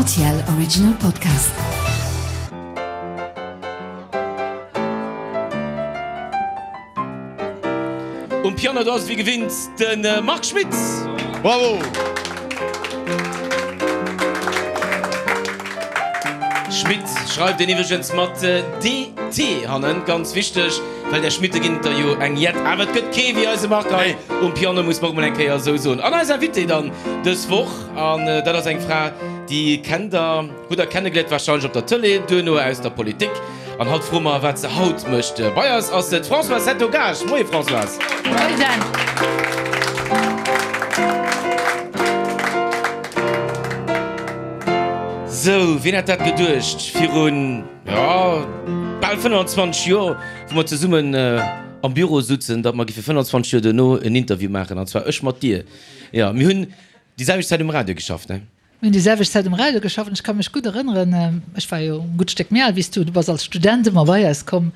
RTL Original Podcast. Um Piano do ass wéi gewinnt de Marc Schmitz. Bravo! Schmitt schreift een iwwregens mat DT hannen, ganz wichteg, well där Schmitte ginn et der jo eng jett. Awer et gëtt kee wéi eise Marc hei um Piano, muss mer och mol eng Kéier esou soen. An eis Invitée dann dës Woch, an dat ass eng Fra, déi kennt der, hutt der kennegeléiert warscheinlech op der Tëlee, duerno aus der Politik. An haut froe mer, wat se haut mécht. Bei eis ass d'Françoise Hetto-Gaasch. Moie Françoise. Moie Dan. Sou, wien hätt dat geduecht virun, jo, bal 25 Joer, wou mer zesummen am Büro sutzen, datt mer géife 25 Joer duerno en Interview maachen, an zwar ech mat dir. Jo, mir hunn déi selwecht Zäit um Radio geschafft, ne? Mir hunn déi selwecht Zäit um Radio geschafft an ech ka mech gutt erënneren, ech war jo e gutt Stéck méi al wéi s du, du bass als Student ëmmer bei eis komm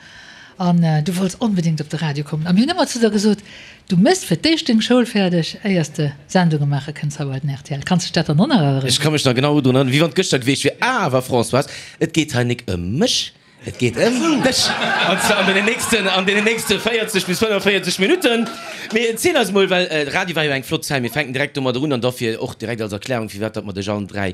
an du wollts onbedéngt op de Radio kommen a mir hunn ëmmer zu der gesot, Du méchs fir d'éischt deng Schoul fäerdeg, éiers de Sendunge maache kënns hei bei den rtl. Kanns dech dat dann och nach erënneren? Ech ka mech nach genau drun erënneren, wéi wann et gëschter gewiescht wier. Awer Françoise, et geet hei nik ëm mech, et geet ëm dech. An zwar an deenen nächsten, an deenen nächste 40 bis 45 Minutten. Mee erziel eis mol, well Radio war jo eng flott Zäit. Mir fänken direkt domadder un an dofir och direkt als Erklärung, firwat datt mer dech allen 3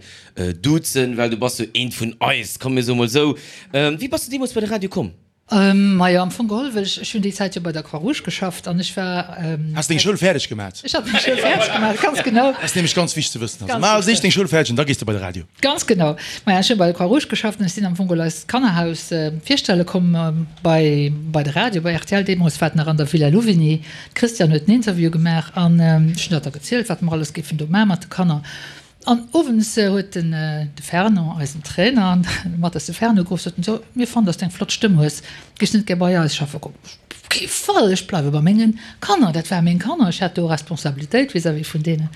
duzen, well du bass jo eent vun eis, komm mir soe mol esou. Wéi bass du deemools bei de Radio komm? Majo, am Fong geholl, well ech, ech hunn déi Zäit jo bei der Croix-Rouge geschafft an ech war. Has deng Schoul fäerdeg gemat? Ech hat meng Schoul fäerdeg gemat, ganz genau. Dat ass nämlech ganz wichteg ze wëssen. Also maach als éischt deng Schoul fäerdeg an da gees de bei de Radio. Ganz genau. Maja, ech hunn bei der Croix-Rouge geschafft an ech sinn am Fong geholl eist Kannerhaus virstelle komm bei, bei de Radio, bei rtl. Deemools war et nach an der Villa Louvigny. D'Christiane huet den Interview gemaach an ech hunn dat da gezielt, wat mer alles géifen do maache mat de Kanner. An owends huet den de Fernand, eisen Trainer, mat eis de Fernand geruff, sot en, So, mir fannen, dass de eng flott Stëmm hues, géifs net gär bei eis schaffe kommen? Op kee Fall, ech bleiwe bei mengen Kanner, dat ware meng Kanner, ech hat do Responsabilitéit vis-à-vis vun deenen.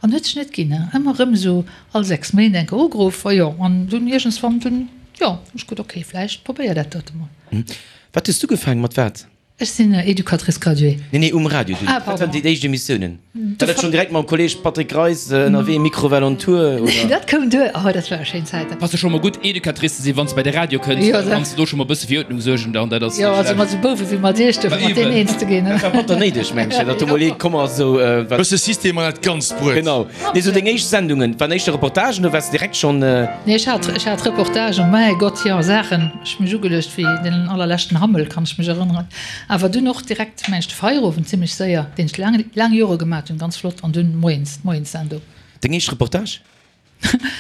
An huet sech net ginn, ëmmer erëm esou all 6 Méint eng Kéier ugeruff, a jo, an dunn iergendswann dunn, jo, hunn ech gesot, ok, vläicht probéier dat dote mol. Wat hues du ugefaangen, mat wat? Ech sinn Educatrice graduée. Nee, nee, um Radio dunn. Ah, pardon. Wat waren déi éischt Emissiounen? War dat schonn direkt mam Kolleg Patrick Greis ënnerwee, Microwell on Tour, oder? Nee, dat koum duer. Oh, dat ware schéin Zäiten. Ass jo scho mol gutt, Educatrice ze sinn, wann s de bei de Radio kënns. Jo, Da kanns de do scho mol e bësse fir Uerdnung suergen dann. Dat ass Jo, net also schlecht. mat esou Bouwe wéi mat iech do, fir mat deenen eens ze ginn. Dat war batter néideg, meng ech, datt do mol ee komm ass, esou, wat. Bësse System an dat ganzt Bruet. Genau. Nee, esou deng éischt Sendungen, waren éischter Reportagen oder waars de direkt schonn. Nee, ech hat, ech hat Reportagen, mäi Gott, jo, Saachen. Ech mech ugeluecht wéi den allerleschten Hammel, kann ech mech erënneren. Awer dunn och direkt mengt de Feierowend zimmlech séier, deen ech laang, laang Jore gemat hunn, ganz flott. An dunn moies, d'Moienssendung. Deng éischt Reportage?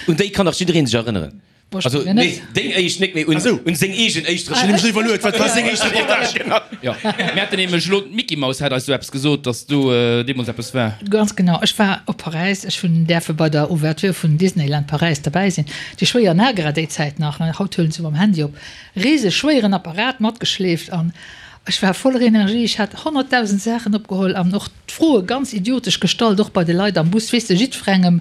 Un déi kann dach jiddereen sech erënneren. Boah, ech Also, mengen nee, net. deng éischt net, mee un, un seng eegen éischt Ech hunn nämlech Reportage. iwwerluet, wat war seng éischt Reportage? Genau. Jo, mir haten nämlech elo, d'Micky Maus hat eis do eppes gesot, dass do deemools eppes war. Ganz genau. Ech war op Paräis, ech hunn däerfe bei der Ouverture vun Disneyland Paräis derbäi sinn. Déi schwéier Nagra déi Zäit nach, haut huelen se mam Handy op, rise schwéieren Apparat matgeschleeft an ech war voller Energie, ech hat 100.000 Saachen opgeholl an och d'Froe ganz idiotesch gestallt, och bei de Leit am Bus, weess de, jiddwerengem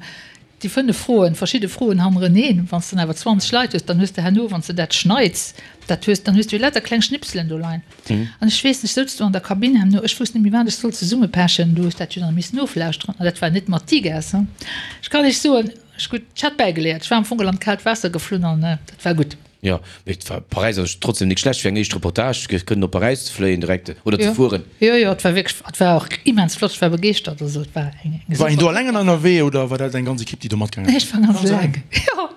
déi 5 Froen, verschidde Froen hannereneen, wann s de dann awer 20 Leit hues, dann hues de herno, wann s de dat schneits, dat hues, dann hues du jo lauter kleng Schnipselen do leien. An ech weess, ech souz do an der Kabinn herno, ech wousst net méi wat ech sollt zesummepechen, du hues dat jo dann missen oflauschteren an dat war net mat Digas, ech kann iech soen, Ech gutt, ech hat bäigeléiert. Ech war am Fong an d'kaalt Waasser geflunn an dat war gutt. Jo, mee et war Paräis ass trotzdem nik schlecht fir eng éischt Reportage, fir kënnen op Paräis ze fléien direkt oder ze fueren. Jo, jo, et war wierklech, et war och immens flott, ech war begeeschtert, also et war eng eng War een do super. alleng ënnerwee oder war dat eng ganz Equipe déi do matgaangen Nee, ech war ganz eleng, jo.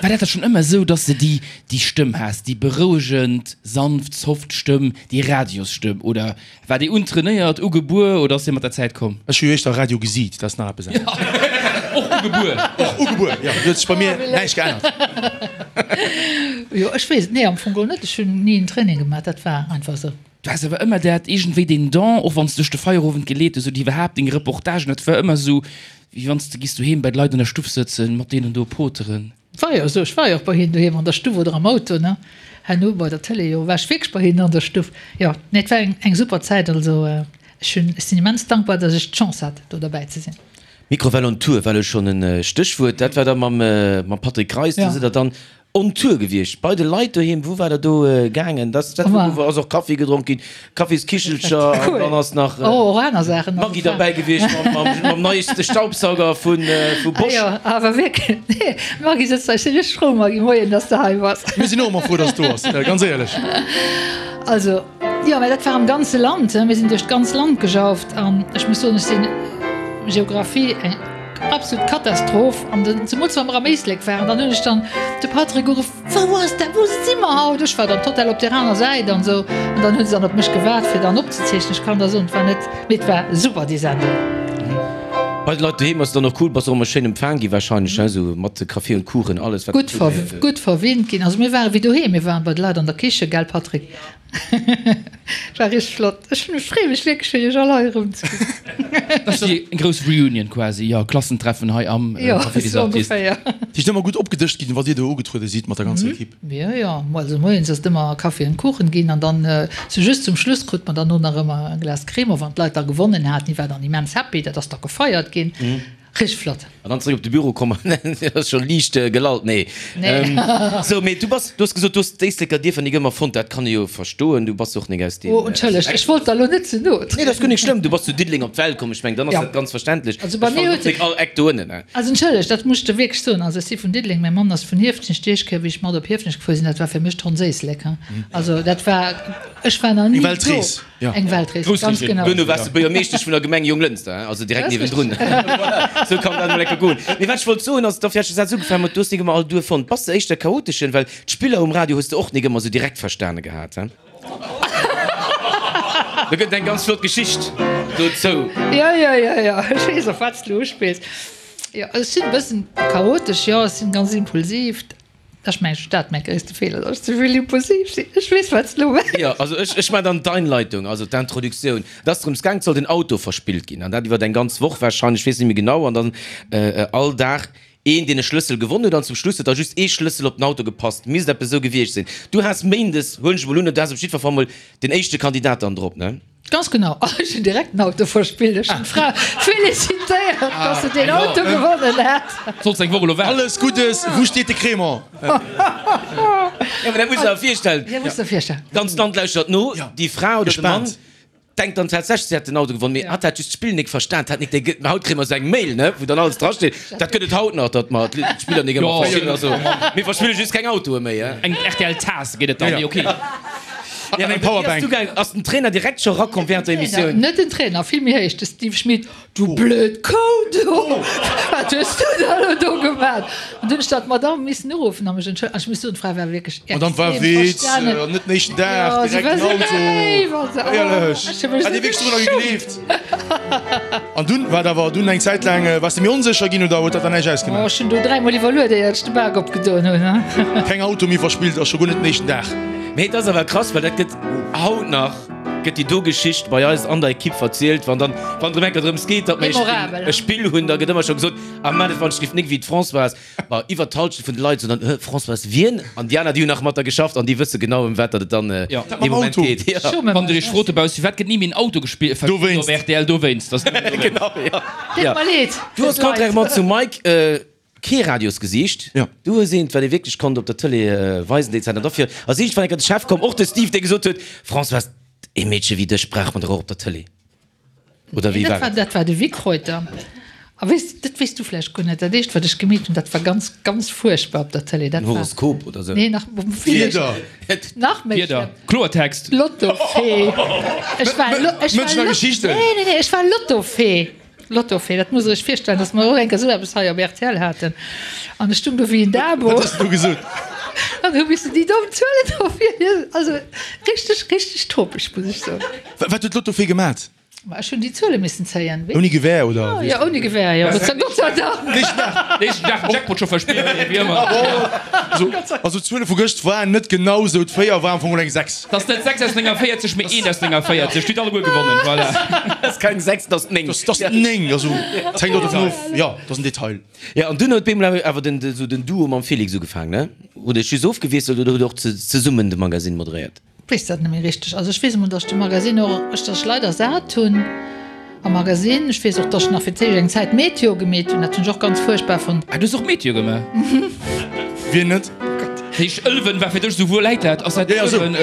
War dat da schonn ëmmer esou, dass de déi déi Stëmm has, déi berouegend, sanft, soft Stëmm, déi Radiosstëmm oder War déi untrainéiert, ugebuer oder ass déi mat der Zäit komm? Ech hu jo éischter Radio gesiit, dat ass nach eppes anescht. Och ugebuer. Och ugebuer, jo. Do huet sech bei mir näischt geännert. Jo, ech weess et, nee, am Fong geholl net. Ech hunn ni en Training gemaach, dat war einfach esou. Du has awer ëmmer dat, iergendwéi deen Don, och wann s de duerch de Feierowend geleet hues oder iwwerhaapt deng Reportagen, dat war ëmmer esou, wéi wann s de giss doheem bei de Leit an der Stuff sëtzen, mat deenen do poteren. War jo esou, ech war jo och bei hinnen doheem an der Stuff oder am Auto, ne? Herno bei der Tëlee, jo, war ech wierklech bei hinnen an der Stuff. Jo, nee, et war eng, eng super Zäit. Also ech hunn, ech sinn immens dankbar, datt ech d'Chance hat, do derbäi ze sinn. Mikrowell on Tour war elo schonn e Stéchwuert. Dat war da mam, mam Patrick Greis. Do sidd Der dann. On Tour gewiescht bei de Leit doheem. Wou war der do gaangen? Dat dat wou ass och Kaffi gedronk ginn, Kaffiskichelcher an dann ass nach Oh, och aner Saachen. Maggi derbäi gewiescht mam mam neieste Staubsauger vu vu Bosch. Ah jo, awer wierklech. Nee, d'Maggi sëtzt hei. Ech si richteg frou, Maggi, moien, dass de hei bass. Mir sinn och ëmmer frou, dass du do bass, ganz éierlech. Also, jo, mä dat war am ganze Land. Mir sinn duerch d'ganz Land gejauft an ech muss soen, ech sinn Geographie eng. Absolut Katastroph an den zemools wa mer am Éislek waren, dann hunn ech dann de Patrick ugeruff, Wou ass dat, wou si mer haut? Ech war dann total op där aner Säit an esou an dann hu se dann op mech gewaart fir dann opzezeechnen. Ech kann der soen, et war net, mee et war super déi Sendung. Bei de Leit doheem ass et dann och cool, bass och ëmmer schéin empfaang gi wahrscheinlech, he, esou mat Café und Kuchen, alles wat Gutt ver, gutt verwinnt ginn. Also mir ware wéi doheem, mir waren bei de Leit an der Kiche, gell Patrick? War richteg flott. Ech freeë mech wierklech fir iech all hei erëm ze gesinn. Dat ass déi grouss Reunion quasi, jo, Klassentreffen hei am Jo, Café des sou Artistes. ongeféier. Dir sidd ëmmer gutt opgedëscht ginn, wann Dir do ugetruede sidd mat der ganzer Equipe? Jo, jo, also moies ass et ëmmer Kaffi an Kuchen ginn an dann sou just zum Schluss krut mer dann och nach ëmmer e Glas Cremant, wann d'Leit da gewonnen haten. Déi war dann immens happy, dat ass da gefeiert ginn. Richteg flott. An dann zréck op de Büro komm an ass scho liicht gelallt. Nee. Nee. Sou, mee du bass, du hues gesot, du hues d'Éisleker Dierfer nik ëmmer fonnt. Dat kann ee jo verstoen. Du bass och nik aus deem. Oh, entschëllegt, ech wollt der elo net ze no trieden. Nee, dat ass guer nik schlëmm. Du bass zu Diddeleng op d'Welt komm. Ech mengen, dann ass dat ganz verständlech. Also bei Ech mir fannen och huet. nik all Eck do ënnen, ne. Also entschëllegt, dat muss ech der wierklech soen. Also ech si vun Diddeleng, mäi Mann ass vun Hieftenech. Déi éischt Kéier, wéi ech mat op Hieftenech gefuer sinn, dat war fir mech d'Hondséislek, hein. Also dat war, ech war nach ni Eng do. Weltrees. Ja. Eng Weltrees, ganz genau. Duerno waars de Buergermeeschtesch vun der Gemeng Jonglënster, also direkt niewendrun. Voilà, sou kann dat emol enke goen. Mee wat ech wollt soen ass, dofir hat ech de Saz ugefaangen mat, du hues nik ëmmer all Duerf fonnt. Bass de éischter chaoteschen? Well d'Spiller um Radio hues de och nik ëmmer sou direkt verstane gehat, he? Do gëtt et eng ganz flott Geschicht dozou. Jo, jo, jo, jo, ech weess op wat s de uspills. Jo, ech sinn e bëssen chaotesch, jo, ech sinn ganz impulsiv. Ech mengen, ech dat mäi gréisste Feeler, datt ech ze vill impulsiv sinn. Ech weess, wat s de elo mengs. Jo, also ech, ech maachen dann d'Einleitung, also d'Introduktioun. Et ass drëms gaang, et soll den Auto verspillt ginn, an dat iwwer eng ganz Woch wahrscheinlech, ech weess net méi genau, an dann all Dag een, deen e Schlëssel gewonn huet, an zum Schluss huet da just ee Schlëssel op den Auto gepasst. Misst eppes esou gewiescht sinn. Du has méindes, huelen ech emol un, du has op jiddwer Fall mol den éischte Kandidat dann drop, ne? Ganz genau. Ah, ech hunn direkt den Auto verspillt. Ech hunn d'Fra felicitéiert, dass se deen Auto gewonnen hat. Solls eng Woch elo waarden. Alles Guddes! Wou steet de Crémant? Ja, mä dat muss der virstellen. Ja, muss der virstellen. D'ganzt Land lauschtert no. Déi Fra oder de Mann denkt dann tatsächlech, si hätt den Auto gewonnen, mee hatt hat just d'Spill nik verstan. Hatt nik déi gëtt. Haut kréie mer esou eng Mail, ne, wou dann alles drasteet. Dat gëtt et haut nach, datt mer d'Spiller nik ëmmer verstinn. Also, mir verspille just keng Autoe méi, he. Eng RTL-Taass gëtt et dann, mee ok. An eng Powerbank. Ass den Trainer direkt scho rakomm während der Emissioun? Net den Trainer, vill méi héich, de Steve Schmit, Du blöd Kou do, wat hues du da elo do gemaat? An dunn hunn ech dat d'Madame missen uruffen a mech entschëllegen. An ech muss soen, d'Fra war wierklech extrem Madame war Witz, verstanen. an net den éischten Dag, Jo, si direkt war den sou Auto. léif an sou, oh, Éierlech, ech hu mech hat sou Dir wierklech dorunner geschummt. gegleeft? An dunn war et awer dunn eng Zäit laang, waars de méi onsécher ginn oder huet dat dann näischt Oh, ausgemaach? ech hunn do dräimol iwwerluet, éier ech de Bak opgedoen hunn. Keng Auto méi verspillt, a scho guer net den éischten Dag. Mee et ass awer krass, well dat gëtt haut nach gëtt déi do Geschicht bei eis an der Ekipp verzielt, wann dann, wann et erëm eng Kéier drëms geet, datt mer e Spill, e Spill hunn, da gëtt ëmmer scho gesot, ah mä dat wann ech géif nik wéi d'Françoise, ma iwwert d'Halschent vun de Leit soen dann, hë, Françoise wien? An déi aner, déi hunn nach mat der geschafft an déi wësse genau ëm wat datt et dann dee Moment geet. Jo. Wann Der Iech frot dobauss, firwat gëtt ni méi en Auto gespillt, Dowéinst. op rtl, dowéinst, ass nëmmen dowéinst. Genau, jo. Deet mer leed. Du hues contrairement zum Mike kee Radiosgesiicht. Jo. Du hues eent, wat ee wierklech konnt op der Tëlee weisen déi Zäit. An dofir ass iergendwann eng Kéier de Chef komm, och de Steve, dee gesot huet, Françoise, ee Meedche wéi dech brauch mer dach och op der Tëlee. Oder wéi war et? Dat war de Vic Reuter. A weess, dat weess du vläicht guer net, dat éischt, wat ech gemeet hunn, dat war ganz, ganz fuerchtbar op der Tëlee. En Horoskop oder sou? Nee, nach vill méi Wieder. schlëmm. Nach méi Wieder. schlëmm. Kloertext. Lottofee. Ech war, ech war Mënschen a Geschichten. Nee, nee, nee, ech war Lottofee. Lottofee, dat muss der iech virstellen, dass mer och eng Kéier esou eppes hei op rtl haten. An ech stung do wéi en Dabo. Wat hues de do gesot? An hu missen déi domm Zuelen do virliesen. Also richteg, richteg topeg, muss ech soen. Wat huet d'Lottofee gemat? Ma ech hunn déi Zuele missen zéien. Ouni Gewehr, oder? Jo, ouni Gewehr, jo. Gott sei Gott sei Dank. Nächsten Dag den Jackpot scho verspillt, wéi ëmmer. Also d'Zuele vu gëscht waren net genau esou. D'Véier war am Fong eng 6. 't ass net 6 aus 49, mee 1 aus 49. Dir hutt alleguer gewonnen, voilà. Dat ass keng 6, dat ass 9. Dat ass 9, also et hänkt och dovun of. Jo, dat ass en Detail. Jo, an dunn huet bemol awer den, esou den Duo mam Félix ugefaangen, ne? Hutt Iech just ofgewiesselt oder hutt Der och zesummen de Magazine moderéiert? Weess dat net méi richteg. Also ech weess emol, datt ech de Magazine och, ech datt ech leider sat hunn am Magazine. Ech weess och, datt ech nach fir d'éischt eng Zäit Meteo gemeet hunn. Dat hunn ech och ganz fuerchtbar fonnt. Ah, du hues och Meteo gemaach? Wien net? Oh Gott. Heescht Ëlwen war fir dech esou, wou läit dat? Ass dat Ëlwen?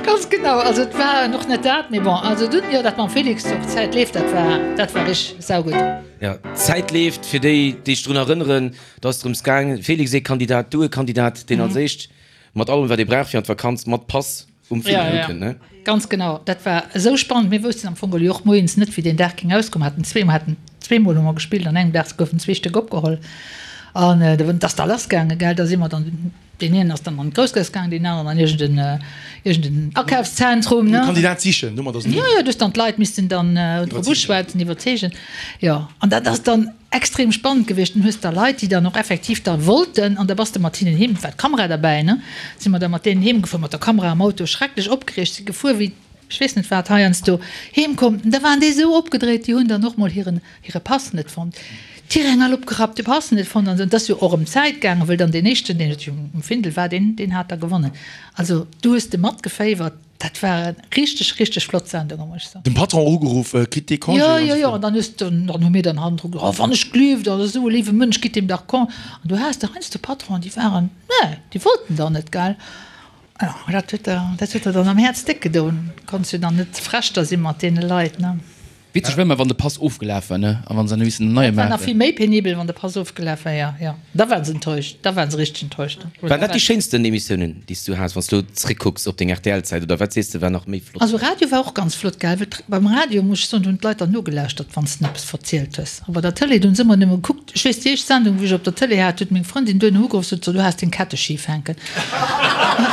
Ganz genau, also et war och net dat, mee bon, also dunn, jo, dat mam Félix och, d'Zäit leeft, dat war, dat war richteg saugutt. Jo, d'Zäit leeft, fir déi, déi sech drun erënneren, do ass drëms gaang, Félix ee Kandidat, du e Kandidat, deen als éischt mat allem wat ee brauch fir an d'Vakanz, mat Pass um Findel ukënnt, ne? Ganz genau, dat war esou spannend. Mir woussten am Fong jo och moies net, wéi deen Dag géing ausgoen. Mer haten zweemol, haten zweemol hu mer gespillt, an engem Dag goufen zwee Stéck opgeholl an et ass da lass gaangen, gell. Da si mer dann, deen een ass dann an d'Groussgaass gaangen, deen aneren an iergend en, iergend en Akafszentrum, ne. Kandidat sichen, domat ass en. Jo, jo, du hues dann d'Leit missten dann drop uschwätzen, iwwerzeegen, jo. An dat ass dann Extrem spannend gewiescht. Dann hues der Leit, déi dann och effektiv da wollten, an da bass de mat hinnen heem, war d'Kamera derbäi, ne, si mer da mat deenen heem gefuer, mat der Kamera am Auto, schrecklech opgereegt, si gefuer wéi ech weess net wat, heiansdo heem komm, da waren déi esou opgedréit, déi hunn dann och mol hiren, hire Pass net fonnt, d'Tiräng all opgerappt, de Pass net fonnt an esou. Et ass jo och ëm d'Zäit gaangen, wëll dann deen éischten, deen um Findel war, deen, deen hat da gewonnen. Also du hues de matgeféiwert. Dat war eng richteg, richteg flott Sendung, muss ech soen. Den Patron ugeruff, kritt dee Congé? Jo, jo, jo, an dann hues de, dann hu mir dann hannendru gesot, oh wann ech gleeft, dat ass esou e léiwe Mënsch, gitt deem dach Con. An du has der heiansdo Patronen, déi waren, nee, déi wollten dann net, gell. Jo, dat huet der, dat huet der dann am Häerz déck gedoen. Konns jo dann net frech da si mat deene Leit, ne. Witzeg wär emmer wann de Pass ofgelaf war, ne? A wann se dann hu missen en neie Dat war nach maachen. vill méi penibel, wann de Pass ofgelaf war, jo, jo. Da waren se enttäuscht, da waren se richteg enttäuscht. Waren dat déi schéinsten Emissiounen, déi s du has, wann s du elo zréckkucks op deng RTL-Zäit, oder wat sees de war nach méi flott? Also Radio war och ganz flott, gell, well beim Radio, muss ech soen, hunn d'Leit dann nogelauschtert, wann s de eppes verzielt hues. A bei der Tëlee, do hunn se ëmmer nëmme gekuckt. Ech weess, déi éischt Sendung, wou ech op der Tëlee hat, huet meng Frëndin duerno ugeruff, sot se, du has deng Kette schif hänken.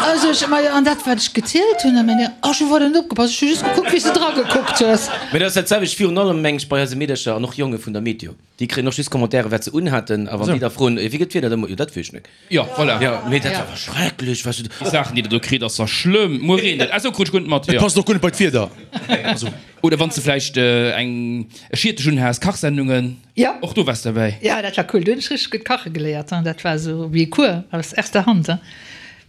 Also ech, ma an dat, wat ech gezielt hunn, a meng, ach, ech hu weider net opgepasst, ech hu just gekuckt, wéi s de dragekuckt hues. Mee dat ass dat selwecht virun allem, meng ech, bei eise Meedercher an och Jonge vun der Meteo. Déi kréien och just Commentairen, wat se unhaten, a wann déi da froen, wéi gëtt d'Wieder da muer, jo, dat weess ech net. Jo, voilà. Jo, mee dat war awer schrecklech, wat se do. Déi Saachen, déi der do kritt, ass da schlëmm. Muer reent et, ah sou, krut ech guer net mat, Et jo. passt och guer net bei d'Wieder. Also. Oder wann s de vläicht eng e Schiertech unhas, Kachsendungen, Ja. och do waars derbäi. Ja, dat war cool. Do hunn ech richteg gutt kache geléiert. Dat war esou wéi e Cours aus erster Hand.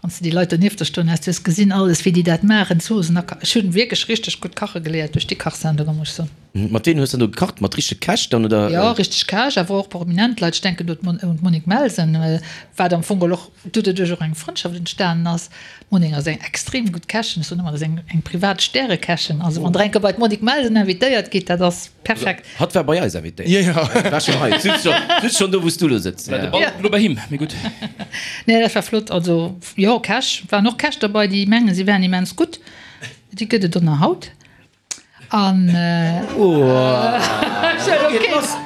Wann s de déi Leit donieft der stoen has, du hues gesinn alles, wéi déi dat maachen, d'Zoossen a. Ech hunn wierklech richteg gutt kache geléiert duerch déi Kachsendunge, muss ech soen. Mat ween hues de dann do gekacht? Mat richtege Käch dann, oder? Jo, richteg Käch, awer och prominent Leit. Ech denken do un d'Monique Melsen, wat am Fong och doduerch och eng Frëndschaft entstanen ass. D'Monique ass eng extrem gutt Kächin, ech soen ëmmer, dat ass eng eng privat Stärekächin. Also wann Der eng Kéier bei d'Monique Melsen invitéiert gitt, dat ass perfekt. Hatt war bei eis invitéiert. Jo, jo. War schonn hei. Sutz schonn, sutz schonn do, wou s du elo sëtz. War de Ball elo bei him, mee gutt. Nee, dat war flott. Also jo, Käch, waren och Käch derbei, déi mengen, si wären immens gutt. Déi gëtt et och nach haut. An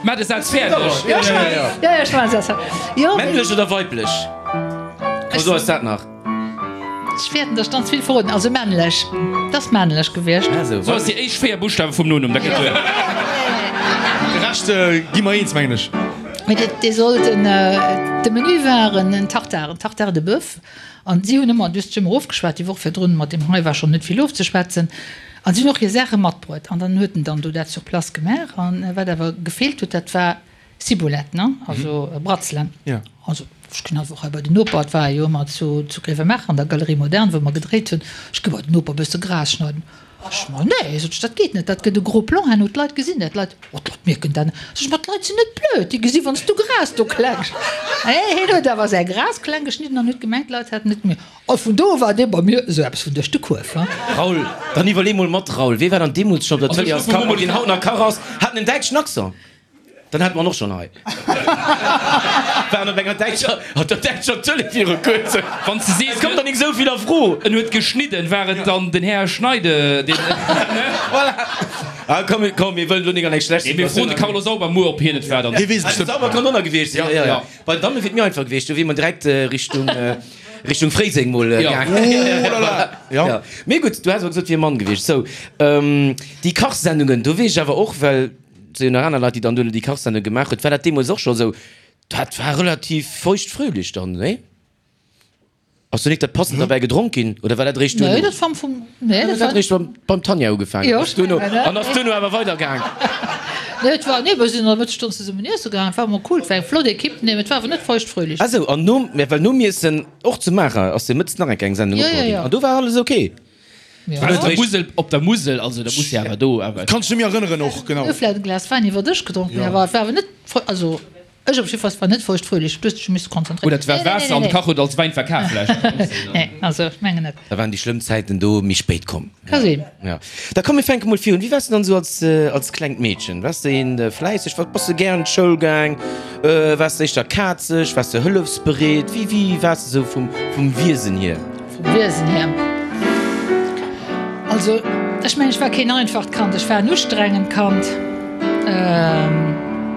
Maach de Saz fäerdeg. Männlech oder weiblech? Komm, so eis dat nach. Ech wäerten dech dann ze vill verroden. Also männlech. Et ass männlech gewiescht. So eis déi éischt 4 Buschtawe vum Nonumm, da gëtt duer. De Rescht gi mer eens, mengen ech. Mee dee sollt en, de Menü war en Tartare, en Tartare de boeuf. An si hunn ëmmer, du hues dech ëmmer ofgeschwat, déi Woch virdrun, mat deem hei war schonn net vill ofzeschwätzen. An si hunn och hir Saache matbruet. An dann huet en dann do dat sur place gemaach. An wat awer gefeelt huet, dat war Ciboulette, ne, also Bratzelen. Also ech ginn einfach hei bei den Noper, et war jo ëmmer zu zu Grevenmacher an der Galerie Moderne, wou mer gedréit hunn, ech gi bei den Noper e bësse Gras schneiden. Ech, ma nee, sot ech, dat geet net, dat gëtt e gros plan herno, d'Leit gesinn dat, d'Leit, oh d'Leit mierken dat net. Sot ech, ma d'Leit sinn net blöd, déi gesi wann s du Gras do kleng. Hee, heen huet awer säi Gras kleng geschnidden an huet gemengt, d'Leit hätten et gemierkt. A vun do war dee bei mir esou eppes vun duerch de Kuerf, he. Raoul, dann iwwerlee mol mat, Raoul, wee war dann deemools schonn op der Tëlee als Kach, deen haut nach Kach ass, hat en däitschen Accent? Dann hate mer en och schonn hei. Waren op enger däitscher, op der däitscher Tëlee viru kuerzem. Wann s de sees, Et kommt der nik esou vill a Fro. En huet geschnidden, war et dann den Här Schneide, deen, ne? Voilà. Ah, komm, komm, mir wëllen elo nik an eng schlecht Nee, mir froen de Situatioun. Carlo Sauber muer, ob hien et war dann. Hie weess et bestëmmt. Sauber kann och nach gewiescht sinn, jo, jo, jo. Bei den Damme wier et mir einfach gewiescht, do wier mer direkt Richtung, Richtung Fréiseng mol gaangen. Oh là là, jo. Jo. Mee gutt, du has awer gesot, et wier e Mann gewiescht. Sou, déi Kachsendungen, do weess ech awer och, well Et sinn jo nach aner Leit, déi dann duerno déi Kachsendung gemaach huet. War dat deemools och scho esou? Dat war relativ feucht-fröhlich dann, nee? Ass do nik dat passend derbäi gedronk ginn oder war dat eréischt duerno? Nee, dat war am Fong, nee, dat dat war. Eréischt beim, beim Tanja ugefaangen Jo, ass duerno, ech mengen, an ass duerno awer weidergaang. Nee, et war, nee, mir sinn an der Mëttesstonn zesummen iesse gaangen. Et war ëmmer cool, et war eng flott Equipe, nee, et war awer net feucht-fröhlich. Ah sou, an nom, mä well nom Iessen, och zu Maacher, ass jo mëttes nach eng kleng Sendung Jo, jo, opgeholl ginn jo. an do war alles ok. Op der Musel, op der Musel, also da muss jo awer do awer. Kann ech net méi erënneren och genau. Hu vläit e Glas Wäin iwwer Dësch gedronk, mee awer et war awer net, also. Ech op jiddefalls war net feuchtfröhlich, du hues dech jo misse konzentréieren. Oder et war Waasser an de Kach huet als Wäin verkaf vläicht. Nee, also ech mengen net. Da waren déi schlëmm Zäiten do méi spéit komm. Ka sinn. Ja. Da komm mir fänke mol virun. Wéi waars de dann esou als, als klengt Meedchen? Waars de een fläisseg? Wat, bass de gären d'Schoul gaang? Waars de éischter kazeg? Waars de hëllefsbereet? Wéi, wéi waars de esou vum, vum Wiesen hier? Vum Wiesen hier? Also, ech mengen, ech war keen einfacht Kand. Ech war en ustrengend Kand.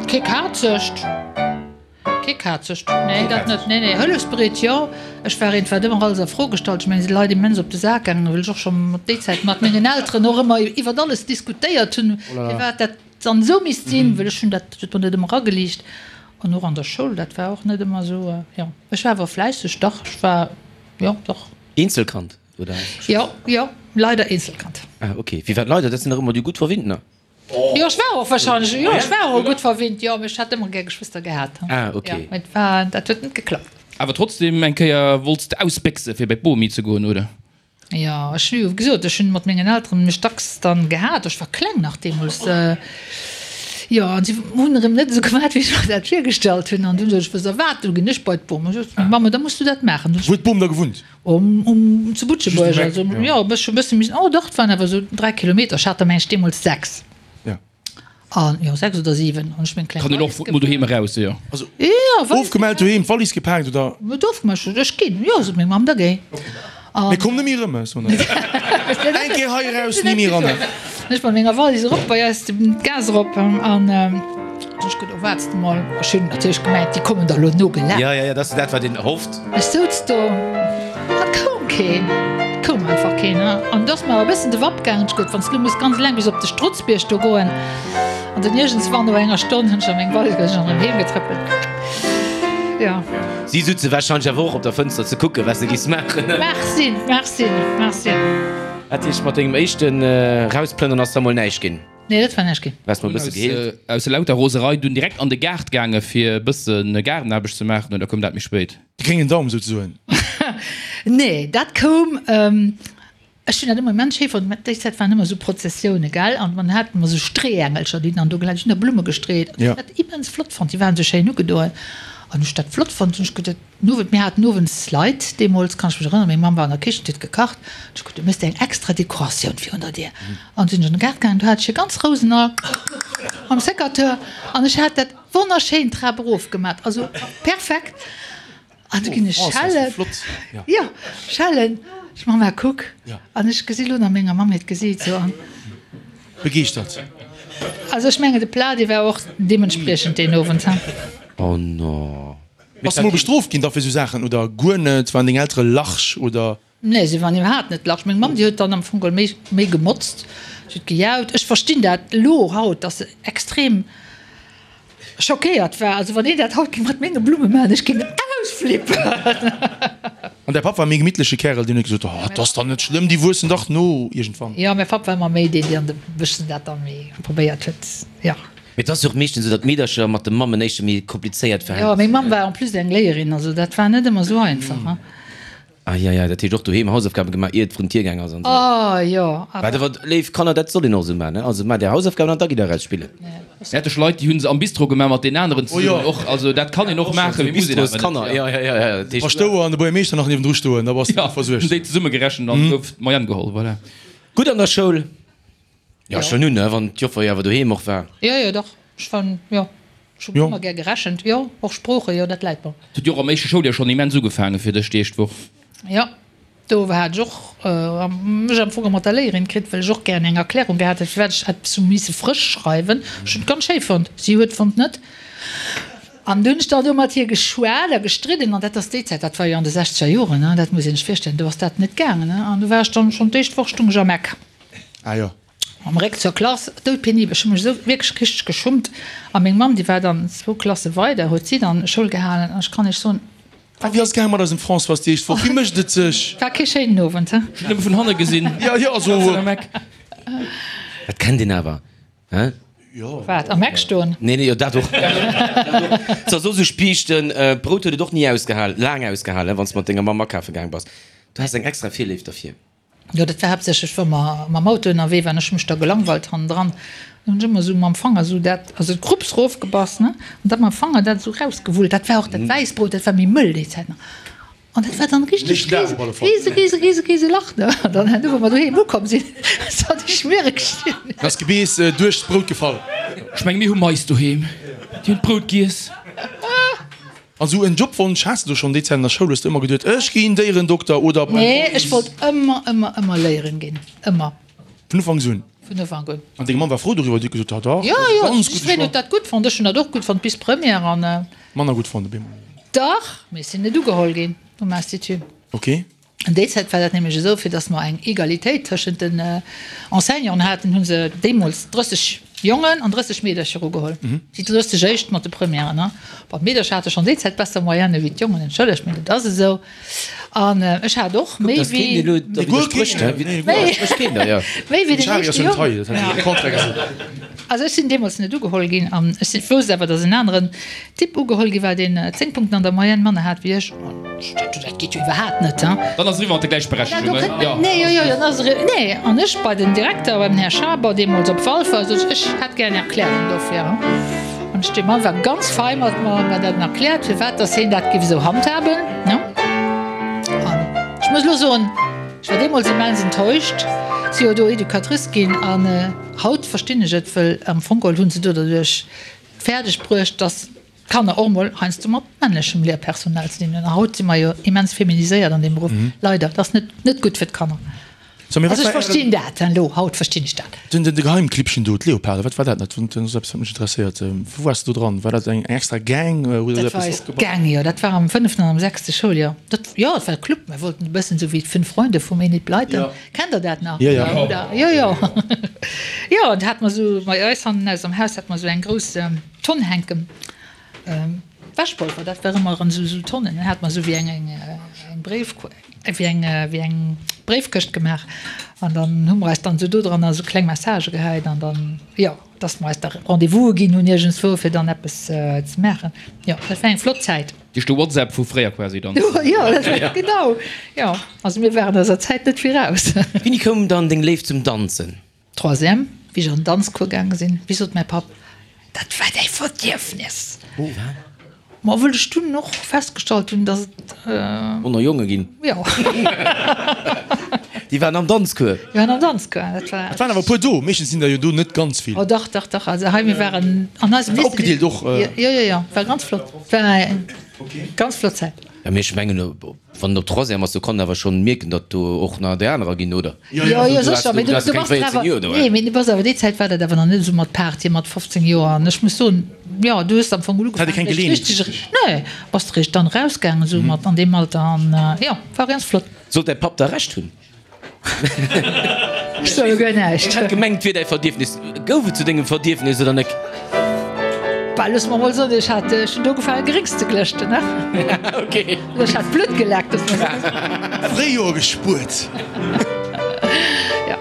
Kee kazegt. Kee kazegt, nee, dat net. Nee, nee, hëllefsbereet, jo. Ech war eent, wat ëmmer alles a Fro gestallt. Ech mengen, si Leit immens op de Sak gaangen, well ech och scho mat déi Zäit mat mengen Elteren och ëmmer iwwert alles diskutéiert hunn, firwat dat dann esou misst sinn, well ech hunn dat, dat huet mer net ëmmer ageliicht. An och an der Schoul, dat war och net ëmmer esou, jo. Ech war awer fläisseg, dach, ech war, jo, dach. Eenzelkand, oder? Jo, jo, leider Eenzelkand. Ah, okay. Firwat leider? Dat sinn dach ëmmer déi gutt Verwinntener. Jo, ech war och wahrscheinlech, jo, ech war och gutt verwinnt, jo, mee ech hätt ëmmer gär Geschwëster gehat. Ah, ok. Jo, mee et war, dat huet net geklappt. Awer trotzdem eng Kéier wollts de ausbéchse fir bei d'Bomi ze goen, oder? Jo, ech hu jo gesot, ech hunn mat mengen Elteren mech dacks dann gehat, ech war kleng nach deemools, jo, an si hunn erëm net esou gemaat, wéi ech mer dat virgestallt hunn, an dunn sot ech, Wësst der wat, du ginn ech bei d'Bom. Ech sot, Mamm, da muss du dat maachen. Wou huet d'Bom da gewunnt? Um, um, zu Butschebuerg, also, jo, e bëssche, bësse méi, oh dach, et waren awer esou 3 Kilometer, ech hat der mengen ech deemools 6. Ja. An, jo, 6 oder 7, an ech meng kleng Kann een och Wallis mol doheem eraus, jo. Also, Jo, Wallis ofgemellt doheem, d'Wallis gepaakt, oder? Net ofgemellt, ech sot, ech ginn, jo, sot meng Mamm, da géi. Mee komm net méi erëm, soen ech. Eng Kéier hei eraus, ni méi eran. Ech mat menger Wallis erop bei eis d'Gaass erop an ech gesot, oh waarts de mol. Ech hunn natierlech gemengt, déi kommen der elo nogelaf. Jo, jo, jo, dat ass dat, wat een hofft. Ech souz do an et koum keen. Et koum einfach keen. An du ass mer awer e bëssen de Wapp gaangen. Ech gesot, wann s de elo muss ganz eleng bis op de Strutzbierg do goen. An dunn iergendswann no enger Stonn hunn ech a meng Wallis gesot, ech erëm heem getrëppelt. Jo. Si sutze warscheinlech awer och op der Fënster ze kucken, wat s de giss maachen. Mag sinn, mag sinn, mag sinn. Dat heescht, mat dengem éischten Rausplënnern ass da mol näischt ginn? Nee, dat war näischt ginn. Waars mol e bësse geheelt? Aus lauter Roserei dunn direkt an de Gaart gaange fir e bësse Gaardenaarbecht ze maachen, oder koum dat méi spéit? De gréngen Daum souzesoen. Nee, dat koum. Ech hunn dat ëmmer immens schéi fonnt. Mä déi Zäit waren ëmmer esou Prozessioune, gell, an man hat ëmmer esou Streeängelcher, déi dann do gelaf sinn, ech hunn da Blumme gestreet. An ech hunn dat immens flott fonnt, déi waren esou schéin ugedoen. An ech dat flott fonnt, hunn ech geduet, den Owend, mir haten owends Leit deemools, kann ech mech erënneren, meng Mamm war an der Kichen, déi huet gekacht, an ech geduet, du méchs der eng extra Dekoratioun virun der Dier. An sinn ech an de Gaart gaangen, do hat ech e ganz Rousenal mam Secateur an ech hat dat wonnerschéin d'Trap erof gemat, also perfekt. An du ginn ech schellen. Jo, schellen. Ech Mama, kuck. An ech gesi lo nach menger Mamm hiert Gesiit sou an. Begeeschtert. Also ech mengen de Plat dee war och deementspriechend deen Owend, he. Oh no. Bass de mol bestrooft ginn da fir sou Saachen oder guer net? Waren deng Eltere large oder? Nee, si waren iwwerhaapt net large. Meng Mamm déi huet dann am Fong geholl méi méi gemotzt, si huet gejaut. Ech verstinn dat elo haut, dass se extrem schockéiert war. Also wann een dat haut géing mat menge Blumme maachen, ech géing ausflippen. An däi Papp war e méi gemittleche Kärel, deen huet gesot, Oh, et ass dann net schlëmm, déi wuessen dach no iergendwann. Jo, mäi Papp war ëmmer méi deen, deen an de bëssen dat dann méi probéiert huet, jo. Mee et ass jo och meeschtens esou, datt d'Meedercher mat de Mammen éischter méi komplizéiert Verhältnis hunn. Jo, meng Mamm war en plus eng Léierin, also dat war net ëmmer esou einfach, hein. Eieiei, dat heescht och doheem Hausaufgaben gemaach iert et vrun d'Dier gaang ass an esou. Oh jo, awer. Wat awer, léif Kanner, dat soll een och esou maachen, ne? Also maacht är Hausaufgaben an da gitt der eraus spillen. Ettlech Leit, déi hu se am Bistro gemaach mat deenen aneren zesummen och. Also dat kann een och maachen, mee muss een awer net. Kanner, jo, jo, jo, dat heescht. Paschtouer an de Buergermeeschter nach niewendru stoen, da bass de gutt versuergt. Jo, hunn déi zesumme gerechent an gouf d'Moyenne geholl, voilà. Gutt an der Schoul? Jo, schon un, ne, wann d'Joffer jo awer doheem och war. Jo, jo, dach, ech war, jo, ech hu ëmmer gär gerechent, jo, och Sproochen, jo, dat läit mer. Et huet jo och am éischte Schouljoer schonn immens ugefaange fir dech, déi éischt Woch. Jo, do hat ech och mech am Fong mat der Léierin kritt, well ech och gären eng Erklärung gehat hätt, firwat ech eppes hu misse frësch schreiwen. Ech hunn et ganz schéi fonnt, si huet fonnt net. An du hunn ech dann do mat hir geschwat a gestridden, an dat ass déi Zäit, dat war jo an de sechzeger Joren, dat muss een sech virstellen, do ass dat net gaangen. An du war ech dann schonn d'éischt Woch stung ech am Eck. Ah jo. Mam Réck zur Klass, doudpenibel, ech hu mech esou wierklech richteg geschummt. A meng Mamm, déi war dann zwou Klasse weider, huet si dann Schoul gehalen. An ech kann Iech soen, A wéi ass et gaange mat eisem Françoise déi éischt Woch? Wéi mécht et sech? War kee schéinen Owend, he? Ech hunn nëmme vun hanne gesinn. Jo, jo, also. Dat kennt een awer, he? Jo. Wat, am Eck stoen? Nee, nee, jo, dat och. Dat ass och esou Spiichten. D'Brout huet et och ni ausgehal, laang ausgehalen, wann s de mat denger Mamm akafe gaang bass. Du has eng extra Virléift derfir. Jo, dat war haaptsächlech, wa mer mam Auto ënnerwee waren. Ech hu mech da gelangweilt hannendran. Dann hunn ech ëmmer esou mam Fanger esou dat, also d'Krupps rofgebass, ne, an da mam Fanger dat esou rausgewullt. Dat war och dat Wäissbrout, dat war méi mëll déi Zäit nach. An dat war dann richteg Nächsten Dag op alle Fall. riese, riese, riese, riese Lach, ne. An dann herno, wou mer doheem ukomm sinn, ass dat déi Schmiereg ginn. Dann ass d'Gebeess duerch d'Brout gefall. Ech menge mir hu Mais doheem, déi hunn d'Brout giess. An sou en Jobwonsch has de do schonn déi Zäit an der Schoul? Hues de ëmmer geduet, ech ginn Déierendokter oder beim Nee, ech wollt ëmmer, ëmmer, ëmmer Léierin ginn. Ëmmer. Vun Ufanks un? Vun Ufank un. An deng Mamm war frou doriwwer? Déi huet gesot, ah dach, Jo, dat ass e jo, ganz gudde jiddwereen Choix. huet dat gutt fonnt. Ech hunn dat och gutt fonnt bis Première an. Manner gutt fonnt op eemol? Dach, mee ech sinn net ugeholl ginn um Institut. Ok. An déi Zäit war dat nämlech esou, fir datt mer eng Egalitéit tëschent den Enseignanten haten, hu se deemools 30 Jongen an 30 Meedercher ugeholl. Déi 30 éischt mat de Premièren. Bon, d'Meedercher hate schonn déi Zäit besser Moyenne wéi d'Jongen, entschëllegt, mee dat ass esou. An ech hat och méi wéi méi wéi den éischte Jong. Also ech sinn deemools net ugeholl ginn an ech wousst awer, datt en aneren Typ ugeholl gi war, deen 10 Punkten an der Moyenne manner hat wéi ech. Dat geet jo iwwerhaapt net, hein? Dann ass eriwwer mat der Gläichberechtegung, jo. Nee, jo, jo, dann ass eriwwer. Nee, an ech bei den Direkter, beim Här Schaber, deemools op Walfer, sot ech, ech hätt gär eng Erklärung dofir, hein? An ech, dee Mann war ganz fei mat mer, huet mer dat erkläert, firwat dass hien dat géif esou handhaben, ne? An ech muss elo soen, ech war deemools immens enttäuscht, si jo do Educatrice ginn, an haut verstinn ech et, wëll am Fong geholl hu se do derduerch fäerdeg bruecht, dass d'Kanner och mol heiansdo mat männlechem Lehrpersonal ze dinn hunn. A haut si mer jo immens feminiséiert an deem Beruff, leider. Dat ass net, net gutt fir d'Kanner. So, mee wat Also ech war verstinn ären. dat elo, haut verstinn ech dat. Den, den, de Geheimclibbchen do, d'Leoparde, wat war dat nach? Dat ass eppes, wat mech interesséiert. Wou waars de do dran? War dat eng, eng extra Gang? Hutt Der Dat war eppes eis opgebaut? Gang, jo. Dat war am fënneften an am sechste Schouljoer. Dat, jo, dat war e Club. Mir wollten e bëssen esou wéi d'Fünf Freunde vum Enid Blyton. Jo. Kennt Der dat nach? Jo, jo. Oder? Jo, jo. Jo, an da hate mer esou, bei eis hannen aus am Haus hate mer esou eng grouss Tonn hänken, Wäschpolver, dat war ëmmer an esou Tonnen. Dann hate mer esou wéi eng, eng, eng Bréif, wéi eng, wéi eng Bréifkëscht gemaach an dann hu mer eis dann esou dodranner esou kleng Messagë gehäit an dann, jo, dass mer eis da Rendez-vouse ginn hunn iergendswou, fir dann eppes ze maachen. Jo, dat war eng flott Zäit. Déi de WhatsApp vu fréier quasi dann. Jo, dat war genau. Jo, also mir waren eiser Zäit net viraus. Wéini koum dann deng Léift zum Danzen? Troisième, wéi ech an den Danzcours gaange sinn, wéi sot mäi Papp, dat war däi Verdierfnes. Ma wëll ech dunn och festgestallt hunn, dass et. Manner Jonge ginn. Jo. Déi waren am Danzcours. Déi waren am Danzcours, dat war. Et waren awer e puer do, meeschtens sinn der jo do net ganz vill. Oh dach, dach, dach, also hei mir waren an eisem Lycée. Opgedeelt och. Jo, jo, jo, war ganz flott, war eng ganz flott Zäit. Jo, mee ech mengen, wann en op Troisième ass, do kann en awer schonn mierken, datt do och nach déi anerer ginn, oder? Jo, jo, sécher, mee du bass dann awer, nee, mee du bass awer, déi Zäit war dat awer nach net esou mat Party mat 15 Joer an ech muss soen, jo, du hues am Fong ugefaangen, eréischt richteg, nee, bass eréischt dann erausgaangen esou mat an deem Alter an jo, war ganz flott. Sollt däi Papp da Recht hunn? Ech soe guer näischt. Ech hat gemengt, et wier däi Verdierfnis. Gouf et zu dengem Verdierfnis oder nek? Bah, looss mer mol soen, ech hat, ech hunn do ugefaange Gréngs ze glëschten, ne? Ok. Ech hat Blutt geleckt, looss mer soen. Fréijoer gespuert. Ja.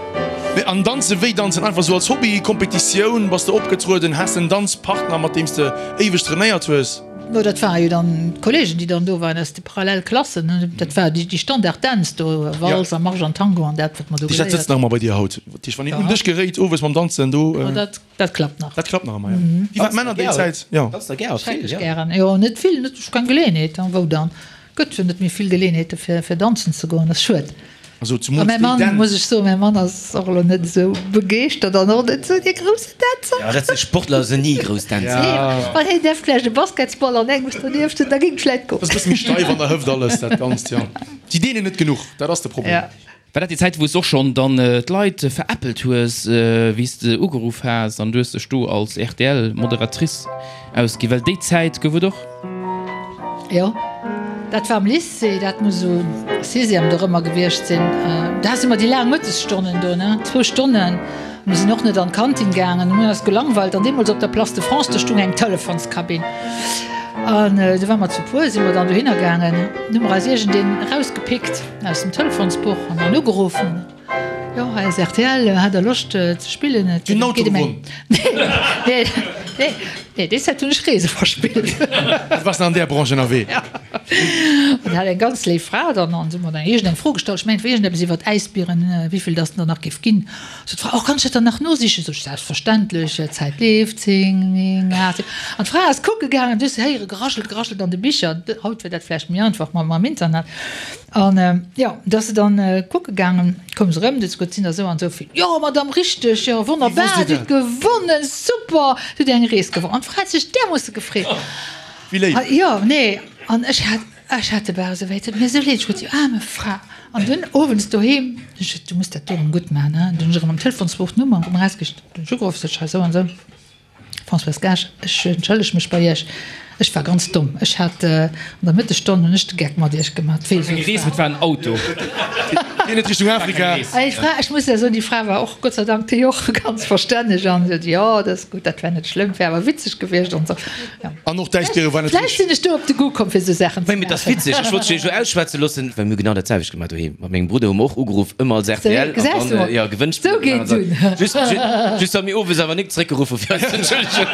Mee an danzen, wéi danzen? Einfach sou als Hobby, Kompetitioun? Bass de opgetrueden? Has de en Danzpartner, mat deem s de éiweg trainéiert hues? No, dat ware jo dann d'Kollegen, déi dann do waren aus de Parallelklassen. Dat war déi Standarddänz do, Walz a Marsch an Tango an dat, wat mer do geléiert. Dat sëtzt nach ëmmer bei dir haut? Dat heescht, wann een un dech geréit owes mam Danzen, do. Jo, dat, dat klappt nach. Dat klappt nach ëmmer, jo. Wéi waren d'Männer déi Zäit? Jo. Danzt der gär? Vill, Schrecklech jo. gären. Jo, net vill, net, ech keng Geleeënheet. Wou dann? Gëtt jo net méi vill Geleeënheete fir, fir danzen ze goen, dat ass schued. Also A zumools mäi déi Mann, Dänz. muss ech soen, mäi Mann ass och elo net esou begeeschtert an och net esou dee groussen Dänzer. Ja, dat si Sportler sinn ni grouss Dänzer. Nee, wann hien däerf vläicht e Basketsball an engems donieft hunn, da géing et vläicht goen. Ass e bësse méi steif an der Hëft alles, dat Ganzt, jo. Si deenen net genuch, dat ass de Problem. Ja. War dat déi Zäit, wou s de och schonn dann d'Leit veräppelt hues, wéi s de ugeruff has an du hues dech do als RTL-Moderatrice ausginn? Well déi Zäit gouf et och. Jo, dat war am Lycée, dat muss esou Sixième dorëmmer gewiescht sinn. Do hate mer déi laang Mëttesstonnen do, ne, zwou Stonnen. Mir sinn och net an d'Kantin gaangen, mir hunn eis gelangweilt. An deemools op der Place de France, do stung eng Telefonskabinn. An do ware mer zu puer, si mer dann dohinner gaangen. Hu mer eis iergendeen erausgepickt aus dem Telefonsbuch an dann ugeruffen. Jo, hei ass rtl, hätt der Loscht ze spillen? Et Den Auto geet ëm eng. gewonn. Nee, nee. Nee, déi Zäit hunn ech Reese verspillt. Du waars nach an där Branche ënnerwee. Ja. An hat eng ganz léif Fra dann an se huet mer dann iergend eng Fro gestallt, ech mengen et war iergendeppes iwwert Äisbieren, wéivill dass der nach géif ginn. Sot d'Fra, oh kann ech dat dann nach nosichen? Sot ech, selbstverständlech, d'Zäit leeft, 10, 9, 8, 7. An d'Fra ass kucke gaangen, du hues se héiere geraschelt, geraschelt an de Bicher, haut wier dat vläicht méi einfach mam Internet. An jo, du ass se dann kucke gaangen, koum se erëm, du huet se gesot, et sinn der esou an esou vill. Jo, Madame, richteg, jo, wonnerbar, Dir hutt gewonnen, super, Dir hutt eng Rees gewonnen. An d'Fra huet sech därmoosse gefreet. Wéi léif. Jo, nee, an ech hat, ech hat de Bauch esou wéi, et huet mir esou leed, ech gesot, déi aarme Fra. An dunn owends doheem, ech gesot, du muss dat do erëm gutt maachen, hein. Dunn hunn ech erëm am Telefonsbuch d'Nummer erëm erausgesicht, dunn hunn ech ugeruff, sot ech, hei esou an esou. Françoise Gaasch, Ech entschëlleg mech bei Iech, ech war ganz domm. Ech hat an der Mëttesstonn hunn ech de Geck mat Iech gemaat. Wéi esou Eng Rees, et war en Auto. Geet net Richtung Afrika. Déi Fra, ech muss ja soen, déi Fra war och Gott sei Dank déi och ganz verstänneg an sot, jo, dat ass gutt, dat wär net schlëmm, wär awer witzeg gewiescht an esou. Jo. An och d'Äisbiere war net Vläicht sinn ech do op de Goût komm fir esou Saachen ze Mee et ass maachen. witzeg, ech wollt dech jo ausschwätze loossen, well mir hu genau dat selwecht gemaach doheem. Mat mengem Brudder hu mer och ugeruff, ëmmer als rtl, an dann, jo, Gewënnspill gemaach an esou. Just, just datt mir owes awer nik zeréckgeruff hu fir eis ze entschëllegen.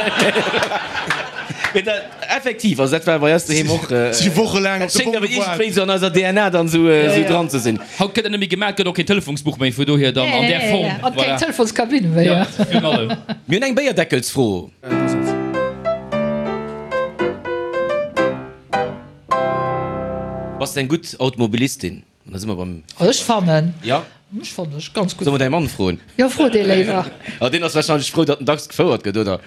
Mee dat, effektiv, also dat war bei eis doheem och, Si wochelaang op dat de schéngt Bom awer gewaart. iergendwéi esou an eiser DNA dann esou, esou dran ze sinn. Haut gëtt dat net méi gemaach, gëtt och keen Telefonsbuch méi, vu dohier dann an där Form. An keng Telefonskabinn méi, jo. Virun allem. Mir hunn eng Béierdeckelsfro. Bass de eng gutt Automobilistin? An da si mer beim. Ech fannen. Ja? Ech fannen ech ganz gutt. Solle mer däi Mann froen? Jo, fro dee léiwer. Ah, deen ass warscheinlech frou, datt en dacks gefouert gëtt, oder?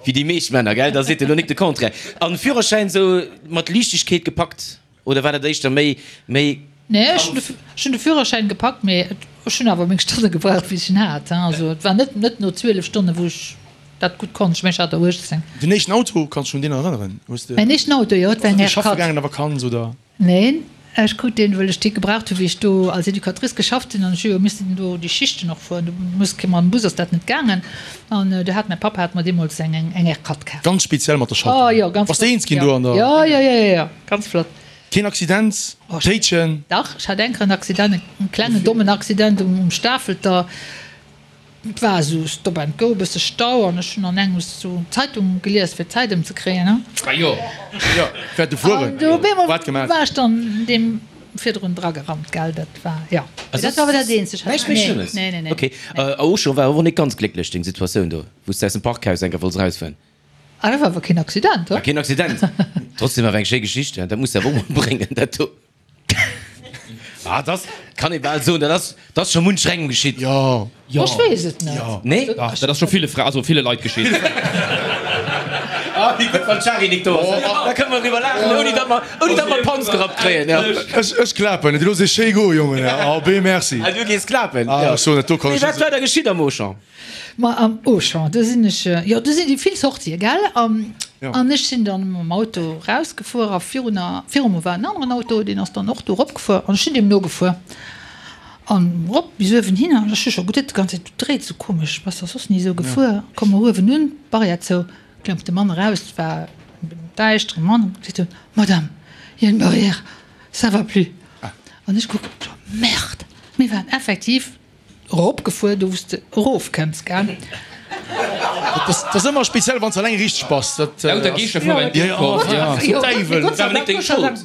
Wéi déi meescht Männer, gell? Da seet en elo nik de Contraire. An Führerschäin sou mat Liichtegkeet gepackt? Oder war dat éischter méi, méi. Nee, ech hunn de Führerschäin gepackt, mee ech hunn awer meng Stonne gebraucht, bis ech en hat. Also et war net, net no 12 Stonnen, wou ech dat gutt konnt. Ech mengen, ech hat der 18. Den éischten Auto, kanns du dech un deen erënneren? Hues de. Mäin éischten Auto, jo, et war eng Bass du schaffe R4. gaangen an der Vakanz, oder? Neen, ech krut deen, wëll ech dee gebraucht hunn, wéi ech do als Educatrice geschafft hunn an ech hu jo missen do déi Schichten och fueren. Do muss kee mam Bus ass dat net gaangen an do hat mäi Papp hat mer deemools eng eng R4 kaf. Ganz speziell mat der Schaltung. Oh jo, ganz Bass de flott. eens ginn do an der. Jo, jo, jo, jo, jo, ganz flott. Keen Accident? Téitchen? Dach, ech hat eng Kéier en Accident, en klengen dommen Accident um Stafelter. Et war esou Stop and Go, e bësse Stau an ech hunn an engems esou d'Zeitung gelies fir d'Zäit ëmzekréien. Ah jo, jo, wäert de fueren. An do op eemol Wat gemaach? war ech dann deem virdrun dragerannt, gell, dat war, jo. Mee dat war awer dat eenzegt. Näischt méi Schlëmmes? Nee, nee, nee. Ok. A Auchan war och net ganz glécklech, deng Situatioun do, wou s de aus dem Parkhaus eng Kéier wollts erausfueren. Ah, dat war awer keen Accident, War keen Accident. Trotzdem awer eng schéi Geschicht, dat muss de awer och mol bréngen, dat do. Ah, dat ass, kann ee bal soen, dat ass, dat ass scho muncherengem geschitt. Jo. Jo. Ech weess et net. Jo. Nee? Dach, dat ass scho ville Fra, also ville Leit geschitt. Ah, wéi gutt, wann d'Shari nik do ass. Da kënne mer driwwer laachen, ouni datt mer, ouni datt mer d'Panz gerappt kréien. Jo. Ech, ech klapen. Et looss ee schéi goen, Jongen. Ah, ben merci. Ah, du gees klapen? Ah, ech soen, dat do kann Mee ech wat net. war da geschitt am Auchan? Ma am Auchan, do sinn ech, jo, do sinn déi vill Sortië, gell? An ech sinn dann mam Auto rausgefuer a virun, viru mer war en aneren Auto, deen ass dann och do eropgefuer an ech sinn deem nogefuer an erop bis uewen hin an ech hu scho geduet déi ganz Zäit, du dréits esou komesch, bass der soss ni esou gefuer. Komme mer uewen un, d'Barrière zou, klëmmt de Mann eraus, et war en däischtere Mann, seet en, Madame, il y a une barrière, ça va plus. An ech kucken, Merde, mir waren effektiv Eropgefuer, do wou s de erofkënns, gell? Dat ass ëmmer speziell, wann s alleng richteg bass. Dat Lauter Geeschter fueren eng Kopp. Jo, Däiwel. Dat war awer net deng Schold.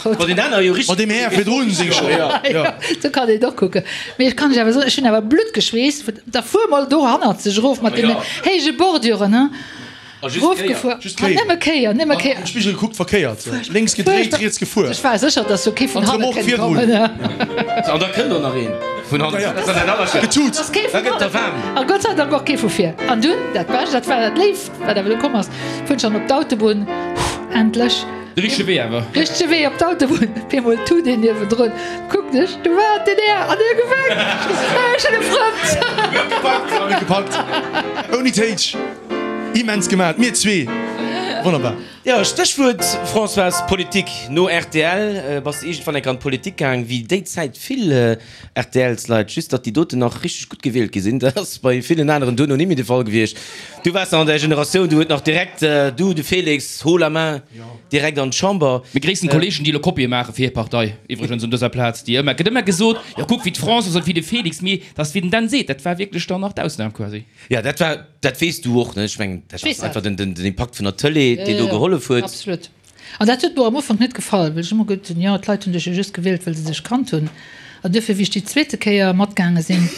Wa deen aner jo richteg. Mat deem Här virdrun seng Schold. Jo, sou kann een et och kucken. Mee ech kann lech awer soen, ech hunn awer Blutt geschweesst. Da fuer mol do hannerzeg erof mat deenen héije Borduren, he. Erofgefuer. Just Kéier. Nëmme Kéier, nëmme Kéier. Am Spigel gekuckt, verkéiert. Lénks gedréit, riets gefuer. Ech war sécher, dass do kee vun hanne kënnt kommen. An da kënnt och nach een vun hannen. Dat ass dat Allerschlimmst. Getut. Dass kee Da vun gëtt der hanne waarm. kënnt. A Gott sei Dank och kee vu vir. An dunn, dat Bescht, dat war dat Léift, wat awer do komm ass, fueren ech dann op d'Autobunn. Endlech. De richtege Wee awer. Richtege Wee op d'Autobunn. Op eemol tut een niewendrun. Kucken ech, do war den Här an hie gewenkt. Ech hunn e Frënd. Gepackt, gepackt. Ouni Téitsch. Immens gemaat, mir zwee! Wonnerbar! Jo, Stéchwuert, Françoise, Politik. No rtl bass de iergendwann enk an d'Politik gaang, wéi déi Zäit vill RTLs-Leit, just datt déi doten nach richteg gutt gewielt gi sinn. Dat ass bei villen aneren duerno ni méi de Fall gewiescht. Du waars nach an där Generatioun, du huet nach direkt, du, de Félix, haut la main, direkt an d'Chamber. Mir gréissen d'Kollegen, déi elo Kopië maache fir hir Partei, iwwregens un dëser Plaz, déi ëmmer, gëtt ëmmer gesot, jo kuck wéi d'Françoise an wéi de Félix, mee dat ass wéi den Dan seet, dat war wierklech dann nach d'Ausnam quasi. Jo, dat war, dat weess du och, ne? Ech mengen, dat ass einfach den, den Impakt vun der Tëlee, deen do gehollef huet. Absolut. An dat huet mer am Ufank net gefall, well ech ëmmer geduet hunn, jo, d'Leit hunn dech jo just gewielt, well se dech kannt hunn. An duerfir, wéi ech déi zweete Kéier matgaange sinn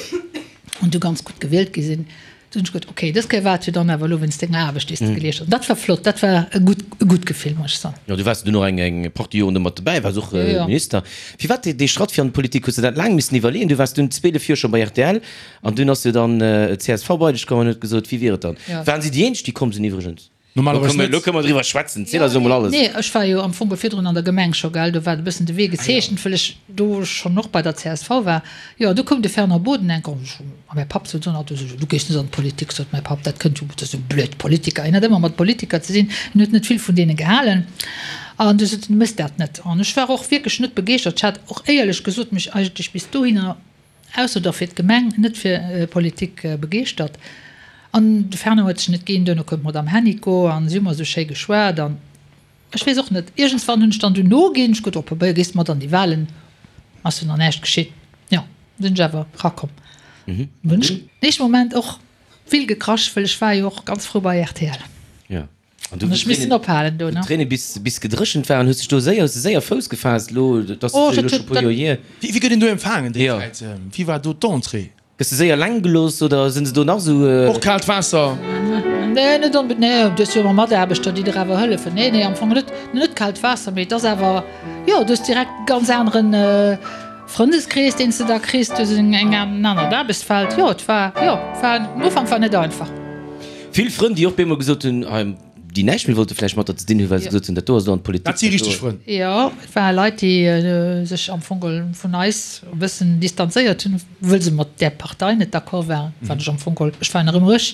an du ganz gutt gewielt gi sinn, du hunn ech geduet, okay, dës Kéier war et jo dann awer elo wéinst denger Aarbecht, déi s de geleescht hues. An dat war flott, dat war e gutt, e gutt Gefill, muss ech soen. Jo, du waars dunn och eng, eng Partie Joren do mat dobäi, waars och Minister. Firwat dee, dee Schratt fir an d'Politik? Hues de dat laang missen iwwerleeën? Du waars dunn 12 Joer scho bei rtl. An dunn ass jo dann csv bei dech komm an huet gesot, wéi wier et dann? Waren si déi eenzeg, déi komm sinn iwwregens? Normalerweis net. Elo kënne mer driwwer schwätzen, ziel eis elo mol alles. Nee, ech war jo am Fong virdrun an der Gemeng scho, gell, do war e bëssen de Wee gezeechent, well ech do schonn och bei der csv war. Jo, du koum de Fernand Boden enk an ech, a mäi Papp sot, du gees net an d'Politik, sot mäi Papp, dat kënnt jo, dat sou blöd Politiker. Hien hat ëmmer mat Politiker ze dinn, hien huet net vill vun deene gehalen. An du sot en, du méchs dat net. An ech war och wierklech net begeeschtert. Ech hat och éierlech gesot mech eigentlech bis dohinner, Ausser da fir d'Gemeng, net fir Politik begeeschtert. An de Fernand huet sech net ginn. Duerno koum d'Madame Hennicot an si hu mer esou schéi geschwat an ech weess och net, iergendswann hunn ech dann dunn noginn. Ech gutt, op Pabeier gees de mat an déi Wahlen, ass jo nach näischt geschitt. Jo, sinn ech awer rakomm. Hunn ech den éischte Moment och vill gekrasch, well ech war jo och ganz frou bei rtl. An du Hunn ech missen ophalen do, ne? D'Tréine bis bis gedréchent waren, hues dech do séier, hues de séier Fouss gefaasst elo, dat ass Oh, jo dat elo scho huet puer Joer hier. Wéi wéi gëtt een do empfaangen déi Jo. Zäit? Wéi war do d'Entrée? Gëss de séier eleng gelooss oder sinn se do nach esou? Och kaalt Waasser? Nee, net onbe, nee, du hues jo ëmmer Mataarbechter, déi der awer hëllefen. Nee, nee, am Fong net, net kaalt Waasser, mee et ass awer, jo, du hues direkt e ganz aneren Frëndeskrees, deen s de da kriss, du hues eng eng en anert Aarbechtsfeld. Jo, et war, jo, war, den Ufank war net einfach. Vill Frënn, déi och bemol gesot hunn, hei, déi näischt méi wollte vläicht mat der ze dinn hunn, well se gesot hunn, dat do ass elo an d'Politik. Dat si richteg Frënn. Jo, et ware Leit, déi sech am Fong geholl vun eis e bëssen distanzéiert hunn, wëll se mat där Partei net d'accord waren, wat ech am Fong geholl, ech war nach ëmmer ech,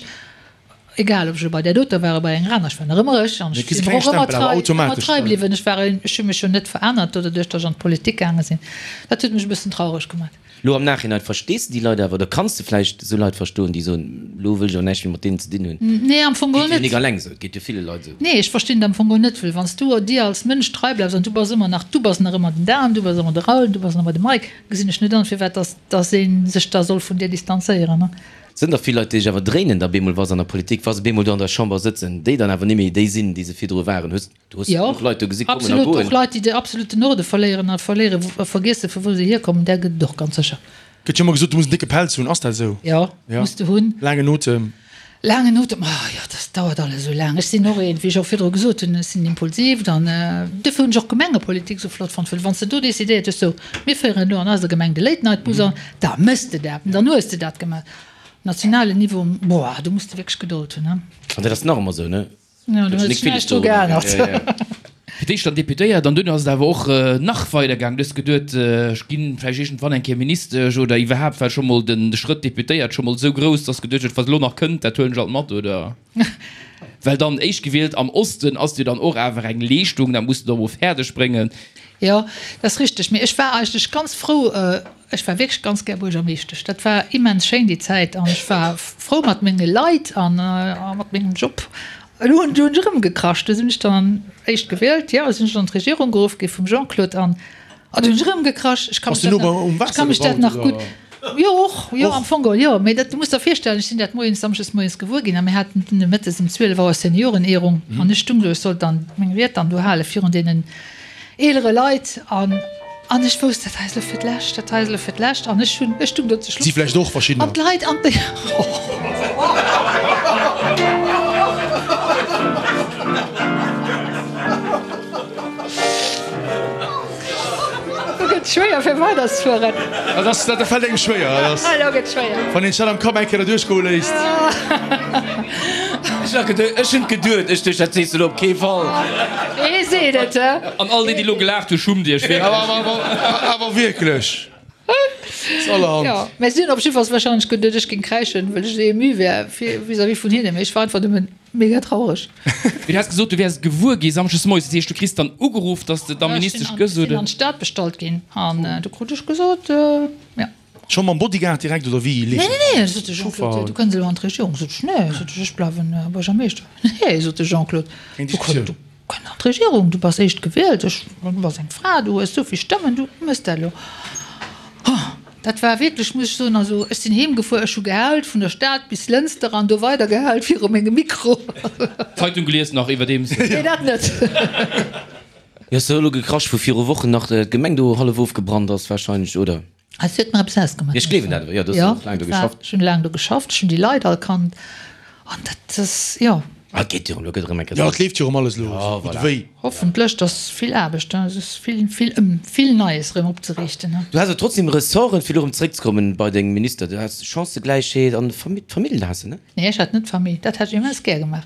egal ob ech elo bei där doter war oder bei enger aner, ech war nach ëmmer ech an ech sinn och ëmmer trei, ëmmer trei bliwwen. Ech war, ech hu mech jo net verännert doduerch, datt ech an d'Politik gaange sinn. Dat huet mech e bëssen traureg gemaach. Lo am Nachhinein, verstees de déi Leit awer oder kanns de vläicht esou Leit verstoen, déi soen, lo wëll ech awer näischt méi mat deenen ze dinn hunn? Nee, am Fong geholl Geet jo net. nik alleng esou, et geet jo ville Leit esou. Nee, ech verstinn et am Fong geholl net, well wann s du dir als Mënsch trei bleifs an du bass ëmmer nach, du bass nach ëmmer den Dan, du bass ëmmer de Raoul, du bass nach ëmmer de Mike, gesinn ech net an, firwat dass dass ee sech da soll vun dir distanzéieren, ne? Sënn der vill Leit, déi sech awer dréinen da bemol, wa se an der Politik, wa se bemol do an der Chamber sëtzen, déi dann awer nimméi déi sinn, déi se virdru waren? Hues Du hues Jo, genuch Leit do gesi kommen a absolut. goen. Och Leit, déi de absoluten Norde verléieren a verléiere a vergiessen, vu wou se hierkommen, där gëtt et och ganz sécher. Gëtt jo ëmmer gesot, du muss en décke Pelz hunn. Ass dat esou? Jo, Ja. muss de hunn. Laangen Otem. Laangen Otem, oh jo, dat dauert alles esou laang. Ech sinn och een, wéi ech och virdru gesot hunn, ech sinn impulsiv, dann, duerfir hunn ech och Gemengepolitik esou flott fonnt, well wann s de do decidéiert hues, sou, mir féieren elo an eiser Gemeng de Late Night Bus an, da méchs de dat, dann hues de dat gemaach. Nationalen Niveau, boah, do muss de wierklech Gedold hunn, ne? An dat ass nach ëmmer esou, ne? Jo, do huet sech näischt dru geännert. Fir d'éischt dann Deputéiert an duerno ass et awer och nach weider gaangen. Du hues geduet, ech ginn vläicht iergendwann eng Kéier Ministesch oder iwwerhaapt war scho mol den Schrëtt Deputéiert scho mol esou grouss, dass geduecht huet, wat elo nach kënnt, dat huelen ech alt mat, oder? Well dann éischtgewielt am Osten ass jo dann och awer eng Leeschtung, dat muss de da mol fäerdeg bréngen. Jo, dat ass richteg. Mee ech war eigentlech ganz frou, ech war wierklech ganz gär Buergermeeschtesch. Dat war immens schéin déi Zäit an ech war frou mat menge Leit an mat mengem Job. Elo hunn ech erëm gekrasch, du sinn ech dann éischt gewielt, jo, sinn ech an d'Regierung geruff gi vum Jean-Claude an du hunn ech erëm gekrasch. Ech ka mech dat nach, ech ka mech dat nach gutt, jo och, jo am Fong geholl jo, mee dat, du muss der virstellen, ech sinn dat moies, samschdes moies gewuer ginn a mir haten dunn mëttes um 12 Auer Seniorenehrung an ech stung do, ech sollt dann meng Ried dann do hale virun deenen eelere Leit an an ech wousst, dat hei ass elo fir d'lescht, dat hei ass elo fir d'lescht an ech hunn, ech stung do zu Si Schluss vläicht och verschiddener. an d'Leit an déi. Lo gëtt schwéier fir weiderzefueren. Dat ass, dat fält engem schwéier. Dat ass. Elo gëtt schwéier. Wann een sech dat am Kapp eng Kéier derduerch goe léisst. Ech hat geduet, ech hunn geduet, ech duecht, dat sees de elo op kee Fall. Ee seet et, he? An all déi, déi elo gelaacht hunn, schummt iech wierklech. Awer, awer, awer wierklech. Ass allerhand. Jo, mä si hunn op jiddefalls wahrscheinlech geduet, ech géing kräischen, well ech esou ému wär vis-à-vis vun hinnen. Mee ech war einfach nëmmen mega traureg. Mee du has gesot, du wäers et gewuer gi Samschdes moies. Dat heescht, du kriss dann ugeruff, datt s de da Ministesch gëss, oder? Ech sinn an d'Stad bestallt ginn an du krut ech gesot, jo. Scho mam Bodyguard direkt, oder wéi leeft dat? Nee, nee, nee, sot de Jean-Claude, du kënns elo an d'Regierung. Sot ech, nee, sot ech, ech bleiwen Buergermeeschter. Nee, sot de Jean-Claude, du kënns an d'Regierung, du bass éischt gewielt, ech, du bass eng Fra, du hues esou vill Stëmmen, du mëss dat elo. Dat war wierklech, muss ech soen, also ech sinn heem gefuer, ech hu gehault vun der Stad bis Lënster an do weider gehault viru mengem Mikro. Zeitung gelies nach iwwerdeems? Nee, dat net. Jo, ass do elo gekrasch, wou viru Wochen nach d'Gemeng do hallef ofgebrannt ass wahrscheinlech, oder? Et huet mer eppes ausgemaach. Ech gleewen dat awer, jo, du hues och laang do geschafft. Ech hunn laang do geschafft, ech hunn déi Leit all kannt an dat ass, jo. Ah, et geet jo erëm, elo gëtt erëm eng Kéier. Jo, et leeft jo erëm alles elo esou gutt ewéi. Hoffentlech, et ass vill Aarbecht, et ass vill, vill ëm, vill Neies erëm opzeriichten. Du has awer trotzdem Ressorten, fir elo erëm zeréckzekommen bei deng Minister, du has Chancëgläichheet an Famill has de, ne? Nee, ech hat net Famill, dat hätt ech immens gär gemaach.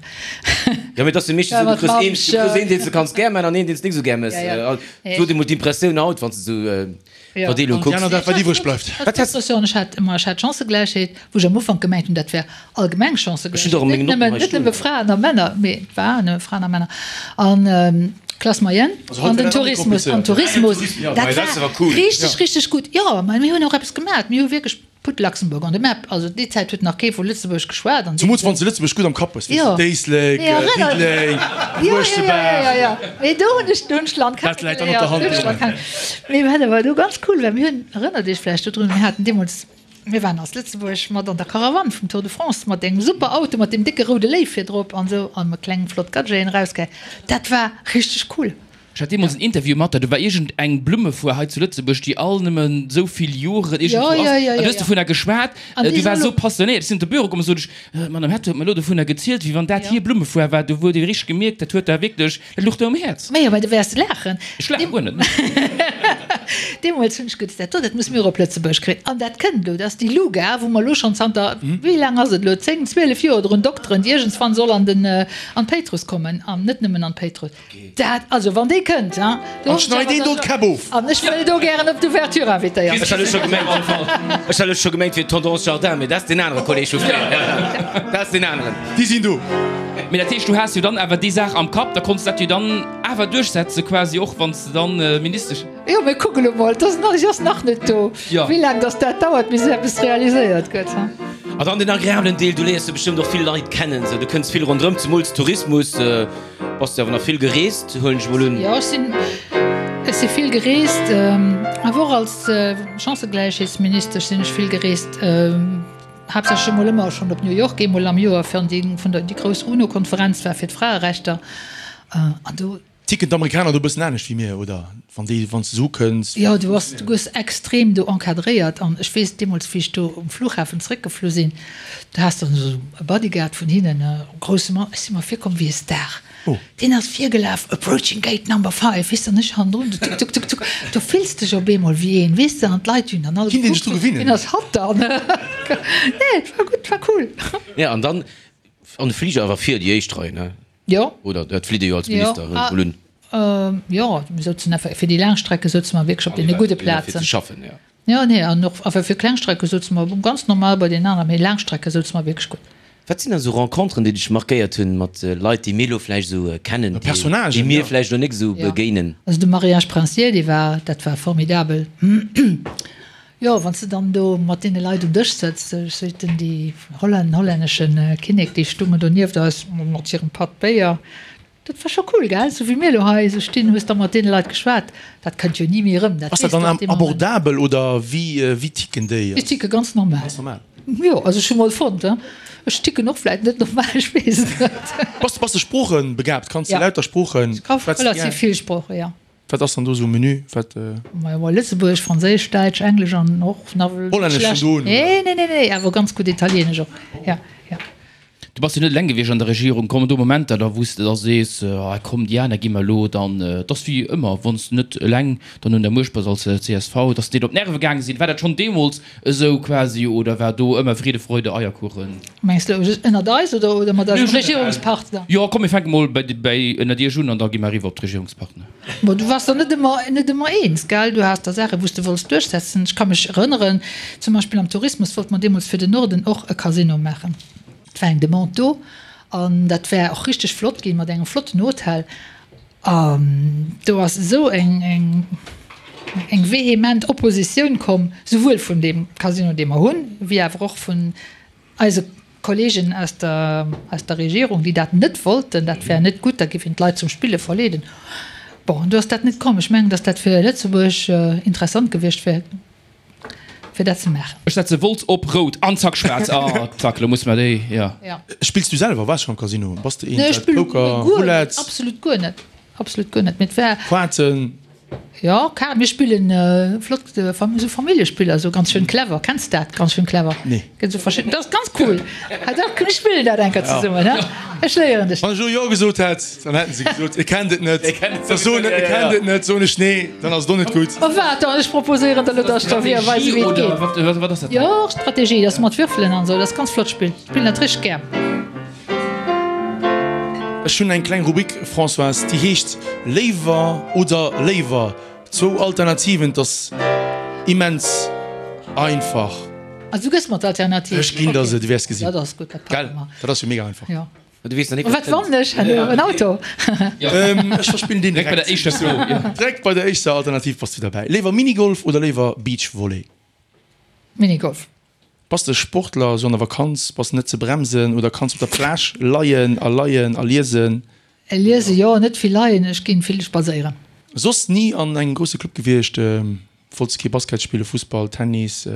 Jo, mee et ass jo meeschtens esou, du kriss een, du kriss een, deen s de kanns gär maachen an een, deen s de nik esou gär méchs. Sou huet ee mol d'Impressioun haut, wann s de esou Verdeelung kucks. Déi aner, dat wat iwwreg bleift. Wat häss de? Ech hat ëmmer, ech hat Chancëgläichheet, wou ech am Ufank gemengt hunn, dat wär allgemeng Chancëgläichheet, net nëmmen, net nëmme Fraen a Männer, mee et war nëmme Fraen a Männer. An Classe moyenne an den Tourismus, an Tourismus, dat war richteg, richteg gutt. Jo, mä mir hunn och eppes gemaach, mir hu wierklech Put Luxembourg on the map. Also déi Zäit huet nach kee vu Lëtzebuerg geschwat an. Zemools wann s de Lëtzebuerg gutt am Kapp hues, weess de, Éislek, Diddeleng, Uerschtebaach. Jo, jo, jo, mee do hunn ech, do hunn ech d'Land Dat läit dann op der Hand, jo. Mee wat awer do ganz cool war, mir hunn, erënnert Iech vläicht dodrun, mir haten deemools, mir waren als Lëtzebuerg mat an der Karawann vum Tour de France mat engem super Auto mat deem décke roude Léiw virdrop an esou an mat klengen flott Gadgeten erausgehäit. Dat war richteg cool. Ech hat deemools en Interview mat der, do war iergend eng Blummefoire hei zu Lëtzebuerg, déi all nëmmen esou vill Joren iergendwou ass, an du hues dovunner geschwat, du waars esou passionéiert. Ech sinn op de Büro komm a sot ech, D'Madame Hetto huet mer elo dovunner gezielt, wéi wann dat hir Blummefoire war. Do huet ee richteg gemierkt, dat huet der wierklech, dat luch der um Häerz. Majo, mä du wäers laachen. Ech laache guer net. Deemools hunn ech geduet, dat do, dat musse mir och op Lëtzebuerg kréien. An dat kënnt elo, dat ass déi Luga, wou mer elo schonn zanter, wéi laang ass et elo, 10, 12 Joer drun dokteren, déi iergendswann soll an den, an d'Péitruss kommen, an net nëmmen an d'Péitruss. Dat, also wann déi kënnt, hein, do An schneid een do d'Käpp of! An ech wëll do gären op d'Ouverture invitéiert Ech hat elo scho gemengt, ech hat elo scho gemengt fir Tendance Jardin, mee dat ass deen anere Kolleg vu fréier. Ja, ja, dat ass deen aneren. Déi sinn do. Mee dat heescht, du has jo dann awer déi Saach am Kapp, da konns dat jo dann awer duerchsetze quasi, och wann s de dann Ministesch. Jo, mir kucke lo mol, 't ass nach, si ass nach net do, wéi laang dass dat dauert, bis eppes realiséiert gëtt. A dann den agreablen Deel, du léiers jo bestëmmt och vill Leit kennen, sou, du kënns vill ronderëm, zemools Tourismus. Bass de awer nach vill gereest, huelen ech mol un? Jo, ech sinn, ech si vill gereest, awer och als Chancëgläichheetsministesch sinn ech vill gereest, haaptsächlech emol ëmmer schonn op New York, eemol am Joer fir an déi vun der déi grouss UNO-Konferenz war fir d'Fraerechter an do. Ticken d'Amerikaner do e bëssen anescht wéi mir, oder wann déi, wann s de se ukënns? Jo, du bass, du gëss extrem do encadréiert an ech weess deemools wéi ech do um Flughafen zréckgeflu sinn, Du has dann esou e Bodyguard vun hinnen, e grousse Mann, ech si mer virkomm wéi e Star. Deen ass virgelaf, approaching gate number five, weess de, an ech hannendrun, du tuk, tuk, tuk, tuk. Du fills dech op eemol wéi een, weess de, an d'Leit hunn dann all gekuckt, wien ass hatt dann? Nee, et war gutt, et war cool. Ja, an dann an de Fliger awer vir déi éischt Rei, ne? Jo. Oder dat flitt ee jo als Minister, huelen ech mol un. Jo, mir souzen einfach, fir déi laang Strecke souze mer wierklech op deene gudde Plazen. Fir ze schaffen, jo. Jo, nee, an och enfin fir Klengstrecke souze mer ganz normal bei deenen aneren, mee Laangstrecke souze mer wierklech gutt. Wat sinn da sou Renconteren, déi dech markéiert hunn mat Leit, déi mir elo vläicht esou kennen, déi mir vläicht elo nik esou begéinen? Also de Mariage princier, dee war, dat war formidabel. Jo, wann s de dann do mat deene Leit um Dësch sëtz, ech soten déi Holländer, den hollännesche Kinnek, déi stungen do nieft eis mat hirem Patt Béier, Dat war scho cool, gell? Sou wéi mir elo hei esou stinn, hues da mat deene Leit geschwat. Dat kënnt jo ni méi erëm, dat Ass dat weess dann de dee Moment. abordabel oder wéi, wéi ticken déi? Déi ticke ganz normal. Ganz normal. Jo, also ech hu mol fonnt, hein. Ech ticken och vläit net normal, ech weess et net. Bass, bass de sproochebegabt? Kanns de Ja. lauter Sproochen? Ech ka Schwätz de relativ gär? vill Sproochen, jo. Wat ass dann do esou um Menü? Wat? Majo, mol Lëtzebuergesch, Franséisch, Däitsch, Englesch an och nawell net Hollännesch schlecht. vun do un, oder? Nee, nee, nee, nee, awer ganz gutt Italienesch och, ja, ja. Du bass jo net eleng gewiescht an der Regierung. Kommen do Momenter da wou s de da sees, ah komm déi aner gi mer elo dann, et ass wéi ëmmer, wann s de net eleng dann un der Muecht bass als csv, datt s deet op d'Nerve gaange sinn. War dat schonn deemools esou quasi oder war do ëmmer Friede, Freude, Eierkuchen? Mengs de elo ënnert eis oder oder mat eisem Regierungspartner? Jo komm mir fänke mol bei bei ënnert iech un an da gi mer eriwwer op d'Regierungspartner. Bon, du waars der net ëmmer net ëmmer eens, gell? Du has da Saachen, wou s de wollts duerchsetzen. Ech ka mech erënneren, zum Beispill am Tourismus wollte mer deemools fir den Norden och e Casino maachen. Et war eng Demande do an dat wär och richteg flott ginn mat engem flotten Hotel. An do ass esou eng, eng, eng vehement Oppositioun komm, souwuel vun deem Casino, dee mer hunn, wéi awer och vun eise Kollegen aus der, aus der Regierung, déi dat net wollten. Dat wär net gutt, da géif een d'Leit zum Spille verleeden. Bon, an do ass dat net komm. Ech mengen, datt dat fir Lëtzebuerg interessant gewiescht wär. Fir dat ze maachen. Ech setze Wolz op rout an zack schwaarz. Ah zack, lo musse mer déi, jo. Spills du selwer? Waars schon am Casino? Bass de een Nee, ech dat spillen Poker, guer net, Roulette? absolut guer net, absolut guer net. Mee et war. Kaarten? Jo, Kaarten, mir spillen flott esou Familljespiller, esou ganz schön clever. Kenns de dat, ganz schön clever? Nee. Gëtt esou verschidden, dat ass ganz cool. Ah dach, mir spillen dat eng Kéier zesummen, he? Ech léieren dech. Wann ech elo jo gesot hätt, dann hätten se gesot, e kennt et net. Da soen e kennt et net, soen ech nee, dann ass et och net gutt. Oh waart, dann ech proposéieren der elo, dass ech der weise wéi et geet. Wat ass dat? Jo, Strategie, dat ass mat Würfelen an esou, dat ass ganz flott Spill. Ech spillen dat richteg gär. Ech hunn eng kleng Rubrik, Françoise, déi heescht Léiwer oder léiwer. Zwou Alternativen, 't ass immens einfach. Also du gëss mer d'Alternativ? Ech ginn der se, du wäers gesinn. Dat ass gutt, dat packe mer. Gell, dat ass jo mega einfach. Jo. Du weess nach net, Wat wat kënnt. wannen ech herno? En Auto? Ech verspillen deen Direkt bei der direkt. éischter Fro, jo. Direkt bei der éischter Alternativ bass du derbäi. Léiwer Minigolf oder léiwer Beachvolley? Minigolf. Bass de Sportler, sou an der Vakanz bass de net ze bremsen oder kanns op der Plage leien a leien a liesen? Liese jo, net vill leien, ech ginn vill spadséieren. Soss ni an engem grousse Club gewiescht? Wollts kee Basket spillen, Fussball, Tennis?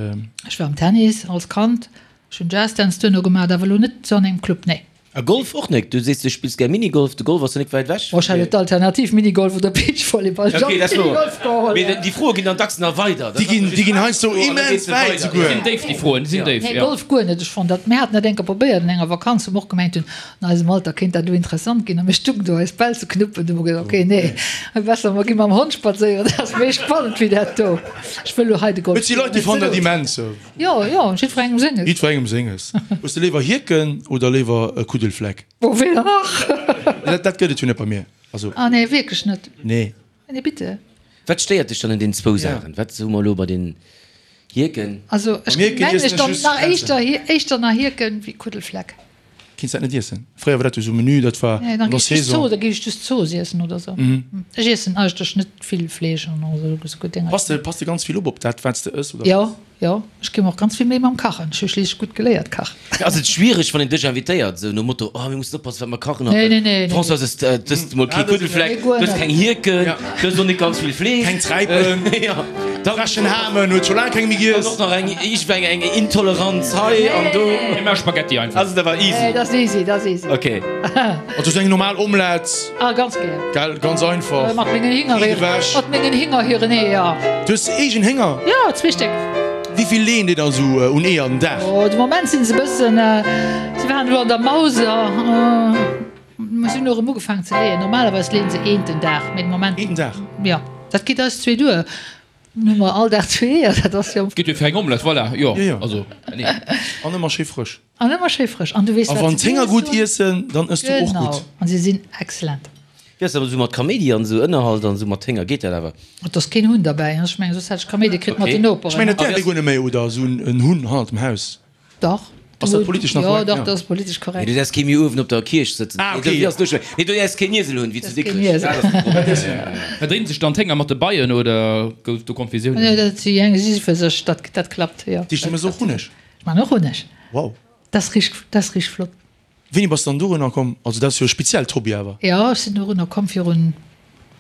Ech war am Tennis als Kand, ech hunn Jazzdance duerno gemaach, awer elo net sou an engem Club, nee. A Golf och nek? Du sees du spills gär Minigolf, de Golf ass jo nek wäit ewech. Bon, ech hat elo d'Alternativ Minigolf oder Beachvolleyball, ech Ok, hat dat ass wouer. Minigolf geholl. Mee déi Froe ginn dann dacks nach weider. Déi ginn, déi ginn heiansdo immens wäit souguer. Déi sinn déif, déi Froen, déi sinn déif, Nee, jo. Golf guer net. Ech fonnt dat, mir haten dat eng Kéier probéiert an enger Vakanz, wou mer och gemengt hunn, An eisem Alter kéint dat elo interessant ginn. A mir stungen do eis Bäll ze knuppen. Du hu mer gesot, ok, nee, besser mer gi mam Hond spadséieren, dat ass méi spannend wéi dat do. Ech wëll elo hei de Golf Et si Leit, déi fannen dat immens. Jo, jo, jiddwerengem senges. Jiddwerengem senges. Hues de léiwer Hierken oder léiwer e Kuddelfleck? Oh, weder nach. Dat, dat gëtt et jo net bei mir. Also. Ah nee, wierklech net? Nee. Nee, bitte. Wat stéiert dech dann un den zwou Saachen? Wat hu mer elo bei den Hierken? Also ech Beim Hierken mengen iessen ech ech dann just nach Grenzen. éischter, éischter nach Hierken wéi Kuddelfleck. Kinns dat net iessen. Fréier war dat jo sou Menü, dat war Nee, dann an der gi ech just Saison. Zooss, da gi ech just Zooss iessen oder sou. Ech iessen eigentlech net vill Fleesch an esou esou gutt Dénger. Pass de, pass de ganz vill op op dat, wat s de ëss, oder? Jo, jo, ech gi mer och ganz vill Méi mam Kachen. Ech hu schliisslech gutt geléiert kachen. Ass et schwiereg, wann een dech invitéiert, esou nom Motto, oh mir mussen oppassen, wat mer kachen haut. Nee, nee, nee, nee. Françoise, s dëst mol kee Kuddelfleck, Nee, guer dëst net. keng Hierken, dëst och net ganz vill Fleesch. Keng Träipen. Jo. Dann Frechen Hamen huet scho laang keng méi dann giess. och nach eng, iergendwéi eng Intoleranz hei an do. Mir maache Spaghetti einfach. Ass et awer easy. Nee, dat ass easy, dat ass easy. Ok. Also sou eng normal Omelette. Ah, ganz gär. Gell, ganz einfach. Mat mengen Hinger, Riit ewech. mat mengen Hinger hiren Eeër. Du hues eegen Hénger? Jo, zwee Stéck. Wéi vill leeën déi da sou un Eeër den Dag? Oh, de Moment sinn se e bëssen, se waren elo an der Mauser. Mer sinn elo erëm ugefaangen ze leeën. Normalerweis leeën se eent den Dag, mee de Moment. Eent den Dag? Jo, dat geet eis zwee duer. Dann hu mer all Dag zwee Eeër, dat ass jo. Geet jo fir eng Omelette, voilà, jo, Jo, jo. also, nee. An ëmmer schéi frësch. An ëmmer schéi frësch. An du weess, A wat wann se d'Hénger giess gutt hunn. iessen, dann ëss du och Genau. gutt. An se sinn excellent. Wéi ass dat esou mat Kaméidi an esou Ënnerhalt an esou mat Hénger, geet dat awer? Et ass keen Hunn derbäi, ech mengen, soss hätt ech Kaméidi kritt mat Okay. den Noperen. Ech mengen, dat däerf ee guer net méi, oder? Esou en Hunn hannert dem Haus. Dach. Ass dat politesch nach Jo, korrekt? dach, Ja. dat ass politesch Nee, korrekt. du däerfs kee méi uewen op der Kierch sëtzen. Ah, Nee, okay. dofir ass duerch. Nee, du däerfs keen Iesel hunn, wéi zu Däerfs keen Dikrech. Iesel. Dat ass de Problem. Verdréinen sech dann d'Hénger mat de Beien oder gouf do Konfusiounen? Nee, dat si eng, si si fir sech, dat, dat klappt, jo. Dich, du mëss och Hunneg? Ech man och Hunneg. Wow. Dat ass richteg, dat ass richteg flott. Wéini bass de dann dorunner komm? Also dat ass jo e speziellt Hobby awer. Jo, ech sinn dorunner komm virun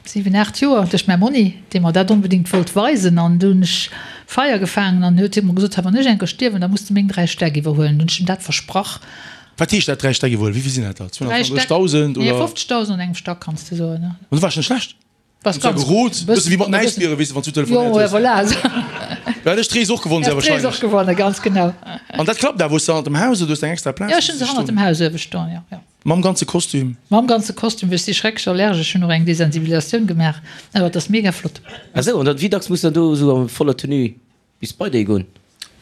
7, 8 Joer duerch mäi Monni, dee mer dat onbedéngt wollt weisen. An du hunn ech Feier gefaangen an huet hie mer gesot, Wann ech eng Kéier stierwen, da muss de meng 3 Stäck iwwerhuelen. Dunn hunn ech him dat versprach. Wat heescht dat, 3 Stäck iwwerhuelen? Wéi vill sinn dat da? 3 Stäck, 230.000 nee, oder? 50.000 an engem Stack kanns de soen. An dat war scho net schlecht. Bass ganz Gerot, bëssen bësse wéi mat den Äisbiere, weess de, wann s du telefonéiert Jo, hues. voilà. Da hätt ech d'Rees och gewonnen, sehr Häss d'Rees wahrscheinlech. och gewonnen, ganz genau. An dat klappt awer? Hues de hannert dem Haus oder hues de eng extra Plaz? Jo, ech hunn se hannert dem Haus uewe stoen, jo, jo. Mam ganze Kostüm? Mam ganze Kostüm, well ech si schrecklech allergesch, hunn och eng Desensibilisatioun gemaach, awer et ass mega flott. Ah sou, an dann wéi dacks muss dann do esou a voller Tenue bis bei déi goen?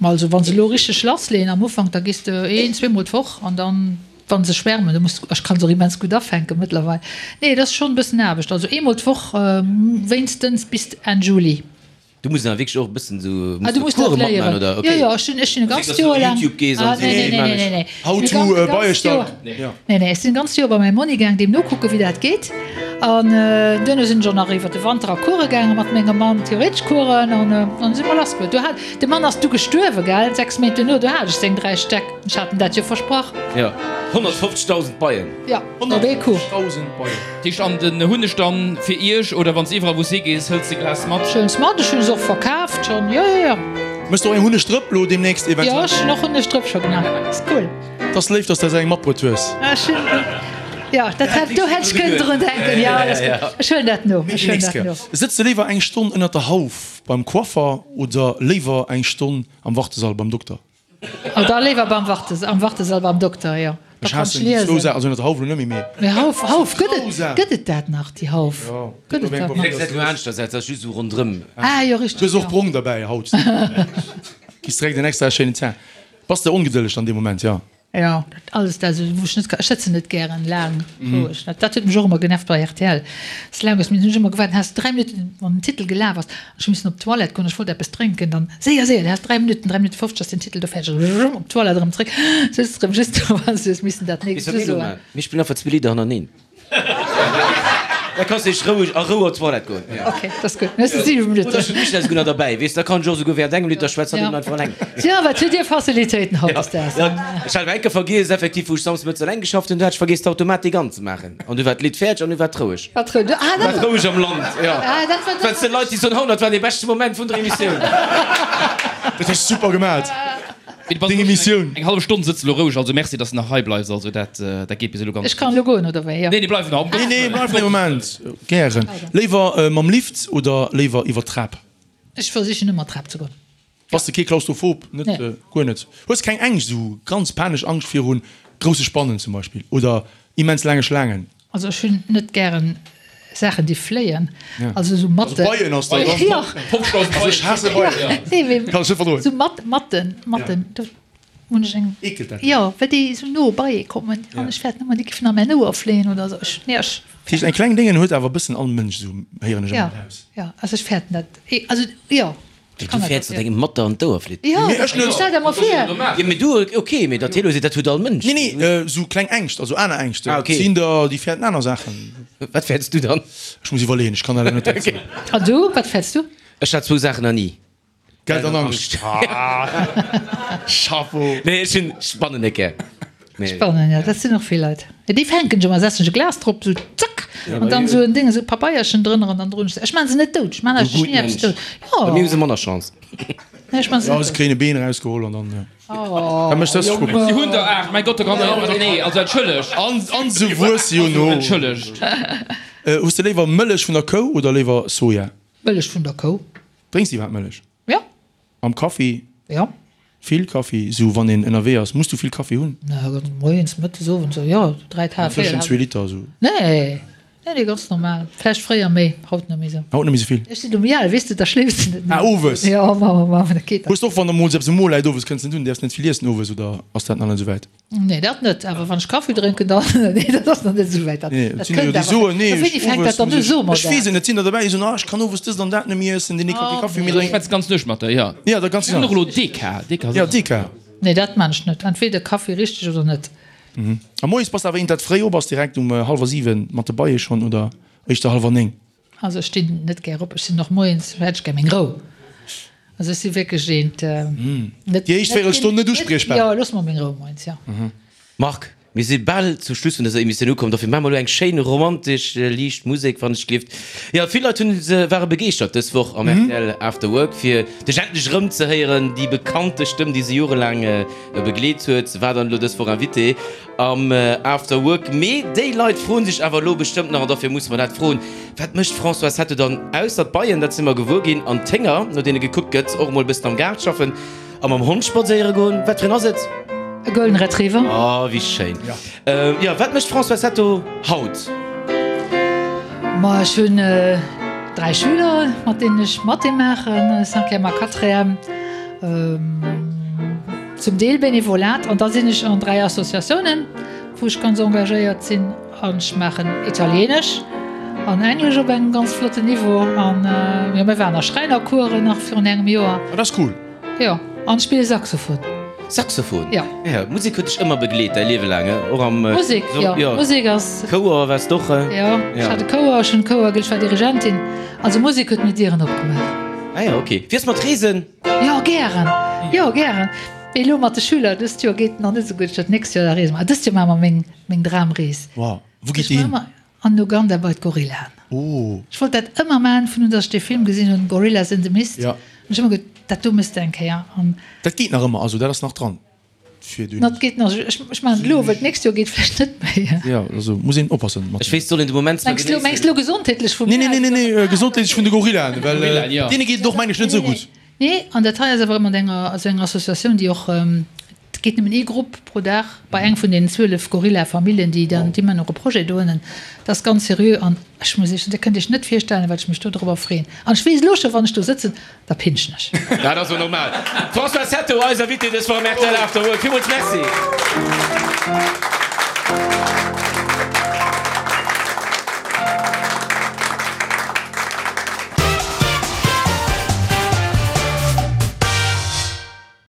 Ma also wa se elo richteg lassleeën am Ufank, da gees de een, zweemol d'Woch an dann, wa se schwärmen, du muss, ech kann se och immens gutt afänken mëttlerweil. Nee, et ass schonn e bëssen Aarbecht, also eemol d'Woch wéinstens bis Enn Juli. Du muss awer wierklech och e bëssen esou, Ah, du muss muss de dat Coure matman, léieren. oder? Jo, Okay. jo, ech sinn, ech sinn e Also ganzt dass du Joer op laang. YouTube gees Ah, an nee, sees, nee, wéi nee, man nee, ech. nee. How Ech to sinn e ganzt Beiestalk. Joer. Ja. Nee, nee, ech sinn e ganzt Joer bei mäi Monni gaang, deem nokucken, wéi dat geet. An duerno sinn ech och nach iwwer de Wanter a Course gaange mat mengem Mann, theoretesch Coursen, an dann si mer lass gefuer. Du hat, de Mann ass du gestuerwe, gell, 6 Méint duerno, du hat ech seng 3 Stäck. Ech hat em dat jo versprach. Jo, 150.000 Beien. Jo, op ee Coup. 150.000 Beien. Heescht an den hunn ech dann fir iech oder wanns iwwerall wous higees hëlls de Glas mat? Ech huelen se mat, ech hunn se och verkaaft schonn, jo jo jo. Mëss de och eng Hunnegdrëpp lo demnächst Jo, eventuell? ech hunn och Hunnegdrëpp scho gemaach, ass cool. 't ass léif dass de eis eng matbruet hues. Ech hunn, jo, dat hätt, do hätt ech kënnen drun denken, jo, dat ass gutt, ech huelen dat no, ech huelen dat no. Sëtz de léiwer eng Stonn ënnert der Hauf beim Coiffer oder léiwer eng Stonn am Wartesall beim Dokter? Oh, da léiwer beim Wartes, am Wartesall beim Dokter, jo. Da Ech kann ech haassen déi zwou liesen. Saachen, also ënnert der Hauf elo net méi, mee. Mee Hauf, Hauf, gëtt et, Zwou gëtt et dat nach, déi Hauf? Jo, Gëtt et dat nach? Säit elo aneschters, dat ass just esou ronderëm. Ah, jo, Du richteg, hues och jo. brong derbäi haut. Kriss direkt en extra schéinen Teint. Bass de ongedëlleg dann dee Moment, jo? Jo, dat alles dat esou, wou ech net ka, ech sëtzen net gären laang roueg. Dat dat huet mech och ëmmer genervt bei rtl. Ass laang ass, mir hunn ech ëmmer gewaart, has 3 Minutten, wann den Titel gelaf ass, an ech hu missen op d'Toilette goen, ech wollt eppes drénken, dann séier, séier, du has 3 Minutten, 3 Minutten 50 ass den Titel do fäerdeg, op d'Toilette erëm zréck, sëtz erëm just do an du hues missen dat Weess nächst wat mir elo usoen. maachen? Mir spillen einfach zwee Lidder hannereen. Da kanns de roueg a Rou op d'Toilette goen. Ok, dat ass gutt. Mir si 7 Minutten. Oder ech hunn d'Michèle esouguer nach derbäi, weess, da kann ech och esouguer während engem Lidd da schwätzt hatt eben einfach eleng. Tja, wat hutt Dir Facilitéiten hautdesdaags. Ja, ech hat awer eng Kéier vergiess, effektiv, wou ech samsdes mëttes eleng geschafft hunn, do hat ech vergiess d'Automatik anzemaachen. An du war d'Lidd fäerdeg an du war et roueg. War et roueg. Ah, dat War et roueg am Land, jo. Ah, dat war. Well s de Leit, déi soen, haut, dat war dee beschte Moment vun der Emissioun. Dat hues de super gemat. Deng Emissioun. Eng hallef Stonn sëtz elo roueg, also merci dass de nach hei bleifs, also dat dat geet bis elo ganz Ech kann elo goen oder wéi? Nee, nee, bleif nach, um Nee, Gottes nee, Wëllen. bleif nach e Moment. Gären. Léiwer mam Lift oder léiwer iwwer d'Trap? Ech versichen ëmmer d'Trap ze goen. Bass de kee Klaustrophob? Net? Nee. Guer net? Hues keng Ängscht, esou ganz panesch Angscht viru grousse Spannen zum Beispill oder immens laange Schlaangen? Also ech hunn net gären Saachen déi fléien, also esou Matten. Also Beien ass da ganz Jo. Also ech haasse Beien. Nee, mee Kann ech net verdroen. Esou Mat, Matten, Matten, do hunn ech eng. Eekelt dat dech? Jo, well déi esou no beiee kommen an ech fäerten ëmmer, déi géifen a mäin Ouer fléien oder esou. Ech, nee, ech. Dat heescht eng kleng Déngen huet awer e bëssen all Mënsch esou, héieren ech Ja, ëmmer eraus. ja, also ech fäerten dat, also jo. Du fäerts, datt engem Matter an d'Ouer flitt? Jo, Mee ech net. Stell der mol vir. Jo, mee du, ok, mee datt hie lo seet, dat huet all Mënsch. Nee, nee, esou kleng Ängscht, also aner Ängscht. Ah, ok. Et sinn der, déi fäerten aner Saachen. Wat fäerts du dann? Ech muss iwwerleeën, ech kann dat elo net direkt soen. An du, wat fäerts du? Ech hat zwou Saachen nach ni. Geld an Angscht. Chapeau! Nee, ech hunn Spannen net gär. Spannen, ja, dat sinn och vill Leit. Ja, déi fänken ech ëmmer, setzen ech e Glas drop, sou zack, an dann sou en Ding, esou e Pabeierchen drënner an dann droen ech se. Ech maan se net dout, ech maan eigentlech ni eppes dout. Jo. Bei mir hu se manner Chance. Nee, ech maan se Ja, net se dout. kréien e Been erausgeholl an dann, ja. Da mécht dës Schwupp. Si hunn der 8, mäi Gott, da kann der, nee, also entschëllegt. An, an se wuesse jo no. Entschëllegt. Hues de léiwer Mëllech vun der Kou oder léiwer Soja? Mëllech vun der Kou. Drénks de iwwerhaapt Mëllech? Jo. Am Kaffi? Jo. Vill Kaffi? Sou wann een ënnerwee ass, muss du vill Kaffi hunn? Moies, mëttes, owends, jo, 3 Taass, 4 Tëschent zwee Liter sou? Nee, nee, nee, ganz normal. Vläicht fréier méi, haut net méi sou. Haut net méi sou vill? Ech sinn um Jal, weess de, da schléifs de net méi. Ah, owes? Jo, ma, ma, ma, dat geet dann. Hues de och, wann der mol eppes um Mo läit owes, kënns net un, däerfs net vill iessen owes, oder ass dat nach net sou wäit? Nee, dat net, awer wann ech Kaffi drénken, dann, nee, dat ass nach net esou wäit. Dat, Nee, dat et sinn der jo kënnt déi awer. soen, nee, Wéini ech fänkt owes dat dann muss u? ech, So mer ech weess dat. et net, et sinn der derbäi, déi soen, ah, ech kann owes dëst an dat net méi iessen, deen ee ka kee Oh, Kaffi méi nee. Ech drénken. schwätz ganz Nuecht mat der, jo. Ja, dat ganz Mir hunn och genau. elo Deka, Deka ass Ja, och. Deka. Nee, dat maan ech net. Entweder Kaffi richteg oder net. A moies bass de awer eent, dat fréi op ass, direkt um hallwer 7 mat de Beie schonn oder éischter hallwer 9? Also ech stinn net gär op, ech sinn och moies, hätt ech gär meng Rou. Also ech si wierklech eent, net. Déi éischt Véierelstonn net uspriechbar? Jo, looss mer meng Rou moies, jo. Marc. Mir si bal zum Schluss vun dëser Emissioun ukomm, dofir maache mer elo eng schéin romantesch liicht Musek, wann ech gelift. Jo, vill Leit hunn se ware begeeschtert dës Woch am rtl After Work, fir dech endlech erëm ze héieren. Déi bekannte Stëmm, déi se jorelaang begleet huet, war dann elo dës Woch Invité am After Work. Mee déi Leit froen sech awer elo bestëmmt nach, an dofir musse mer dat froen, Wat mécht d'Françoise Hetto dann ausser d'Beien, dat si mer gewuer ginn, an d'Hénger, no deene gekuckt gëtt, och emol e bëssen am Gaart schaffen? A mam Hond spadséiere goen? Wat fir een ass et? E Golden Retriever. Oh, wéi schéin. Jo, wat mécht d'Françoise Hetto haut? Ma ech hunn 3 Schüler, mat deenen ech Mathé maachen, Cinquième a Quatrième, zum Deel Benevolat. An da sinn ech an 3 Associatiounen, wou ech ganz engagéiert sinn. An ech maachen Italienesch an Englesch op engem ganz flotten Niveau. An jo, mir waren a Schräinercoursen nach virun engem Joer. Dat ass cool. Jo, an ech spille Saxophon. Saxophon? Jo. Ja, Musek huet dech ëmmer begleet däi Liewe laang, och am. Musek, jo, Musek ass. Chouer waars d'och? Jo, ech hat e Chouer, ech hunn e Chouer, ech war Dirigentin. Also Musek huet mir Dieren opgemaach. Ah jo, ok. Wéi ass mat Reesen? Jo, gären, jo, gären. Mee elo mat de Schüler dëst Joer geet nach net esou gutt. Ech dat nächst Joer da reese mer. Dëst Joer maache mer meng, meng Dramrees. Wow, wou geet déi hin? An Uganda bei d'Gorillaen. Oh. Ech wollt dat ëmmer maachen, vun un dass ech dee Film gesinn hunn, Gorillas in the Mist. Ja. Hunn ech ëmmer geduet, dat do mëss de eng Kéier. An. Dat geet nach ëmmer, also dat ass nach dran fir dunn. Dat geet nach, ech, ech maachen et elo, well d'nächst Joer geet vläicht net méi. Ja, also muss een oppassen mat. Ech weess, soll een de Moment zwar Mengs du, mengs genéissen. du elo gesondheetlech vu Nee, mir nee, nee, aus? nee, nee, gesondheetlech vun de Gorillaen, well Gorillaen, ja. deene geet et och, meng ech, net esou gutt. Nee, an dat hei ass awer mat enger, also enger Associatioun, déi och, et geet nëmmen ee Grupp pro Dag bei eng vun deenen 12 Gorilla-Familljen, déi dann, déi man och e Projet dohannen. Dat ass ganz seriö an ech muss Iech, Dir kënnt Iech net virstellen, wat ech mech do dorobber freeën. An ech weess elo scho, wann ech do sëtzen, da pinschen ech. Dat ass jo normal. D'Françoise Hetto, eis Invitée dës Woch am rtl After Work. Villmools Merci.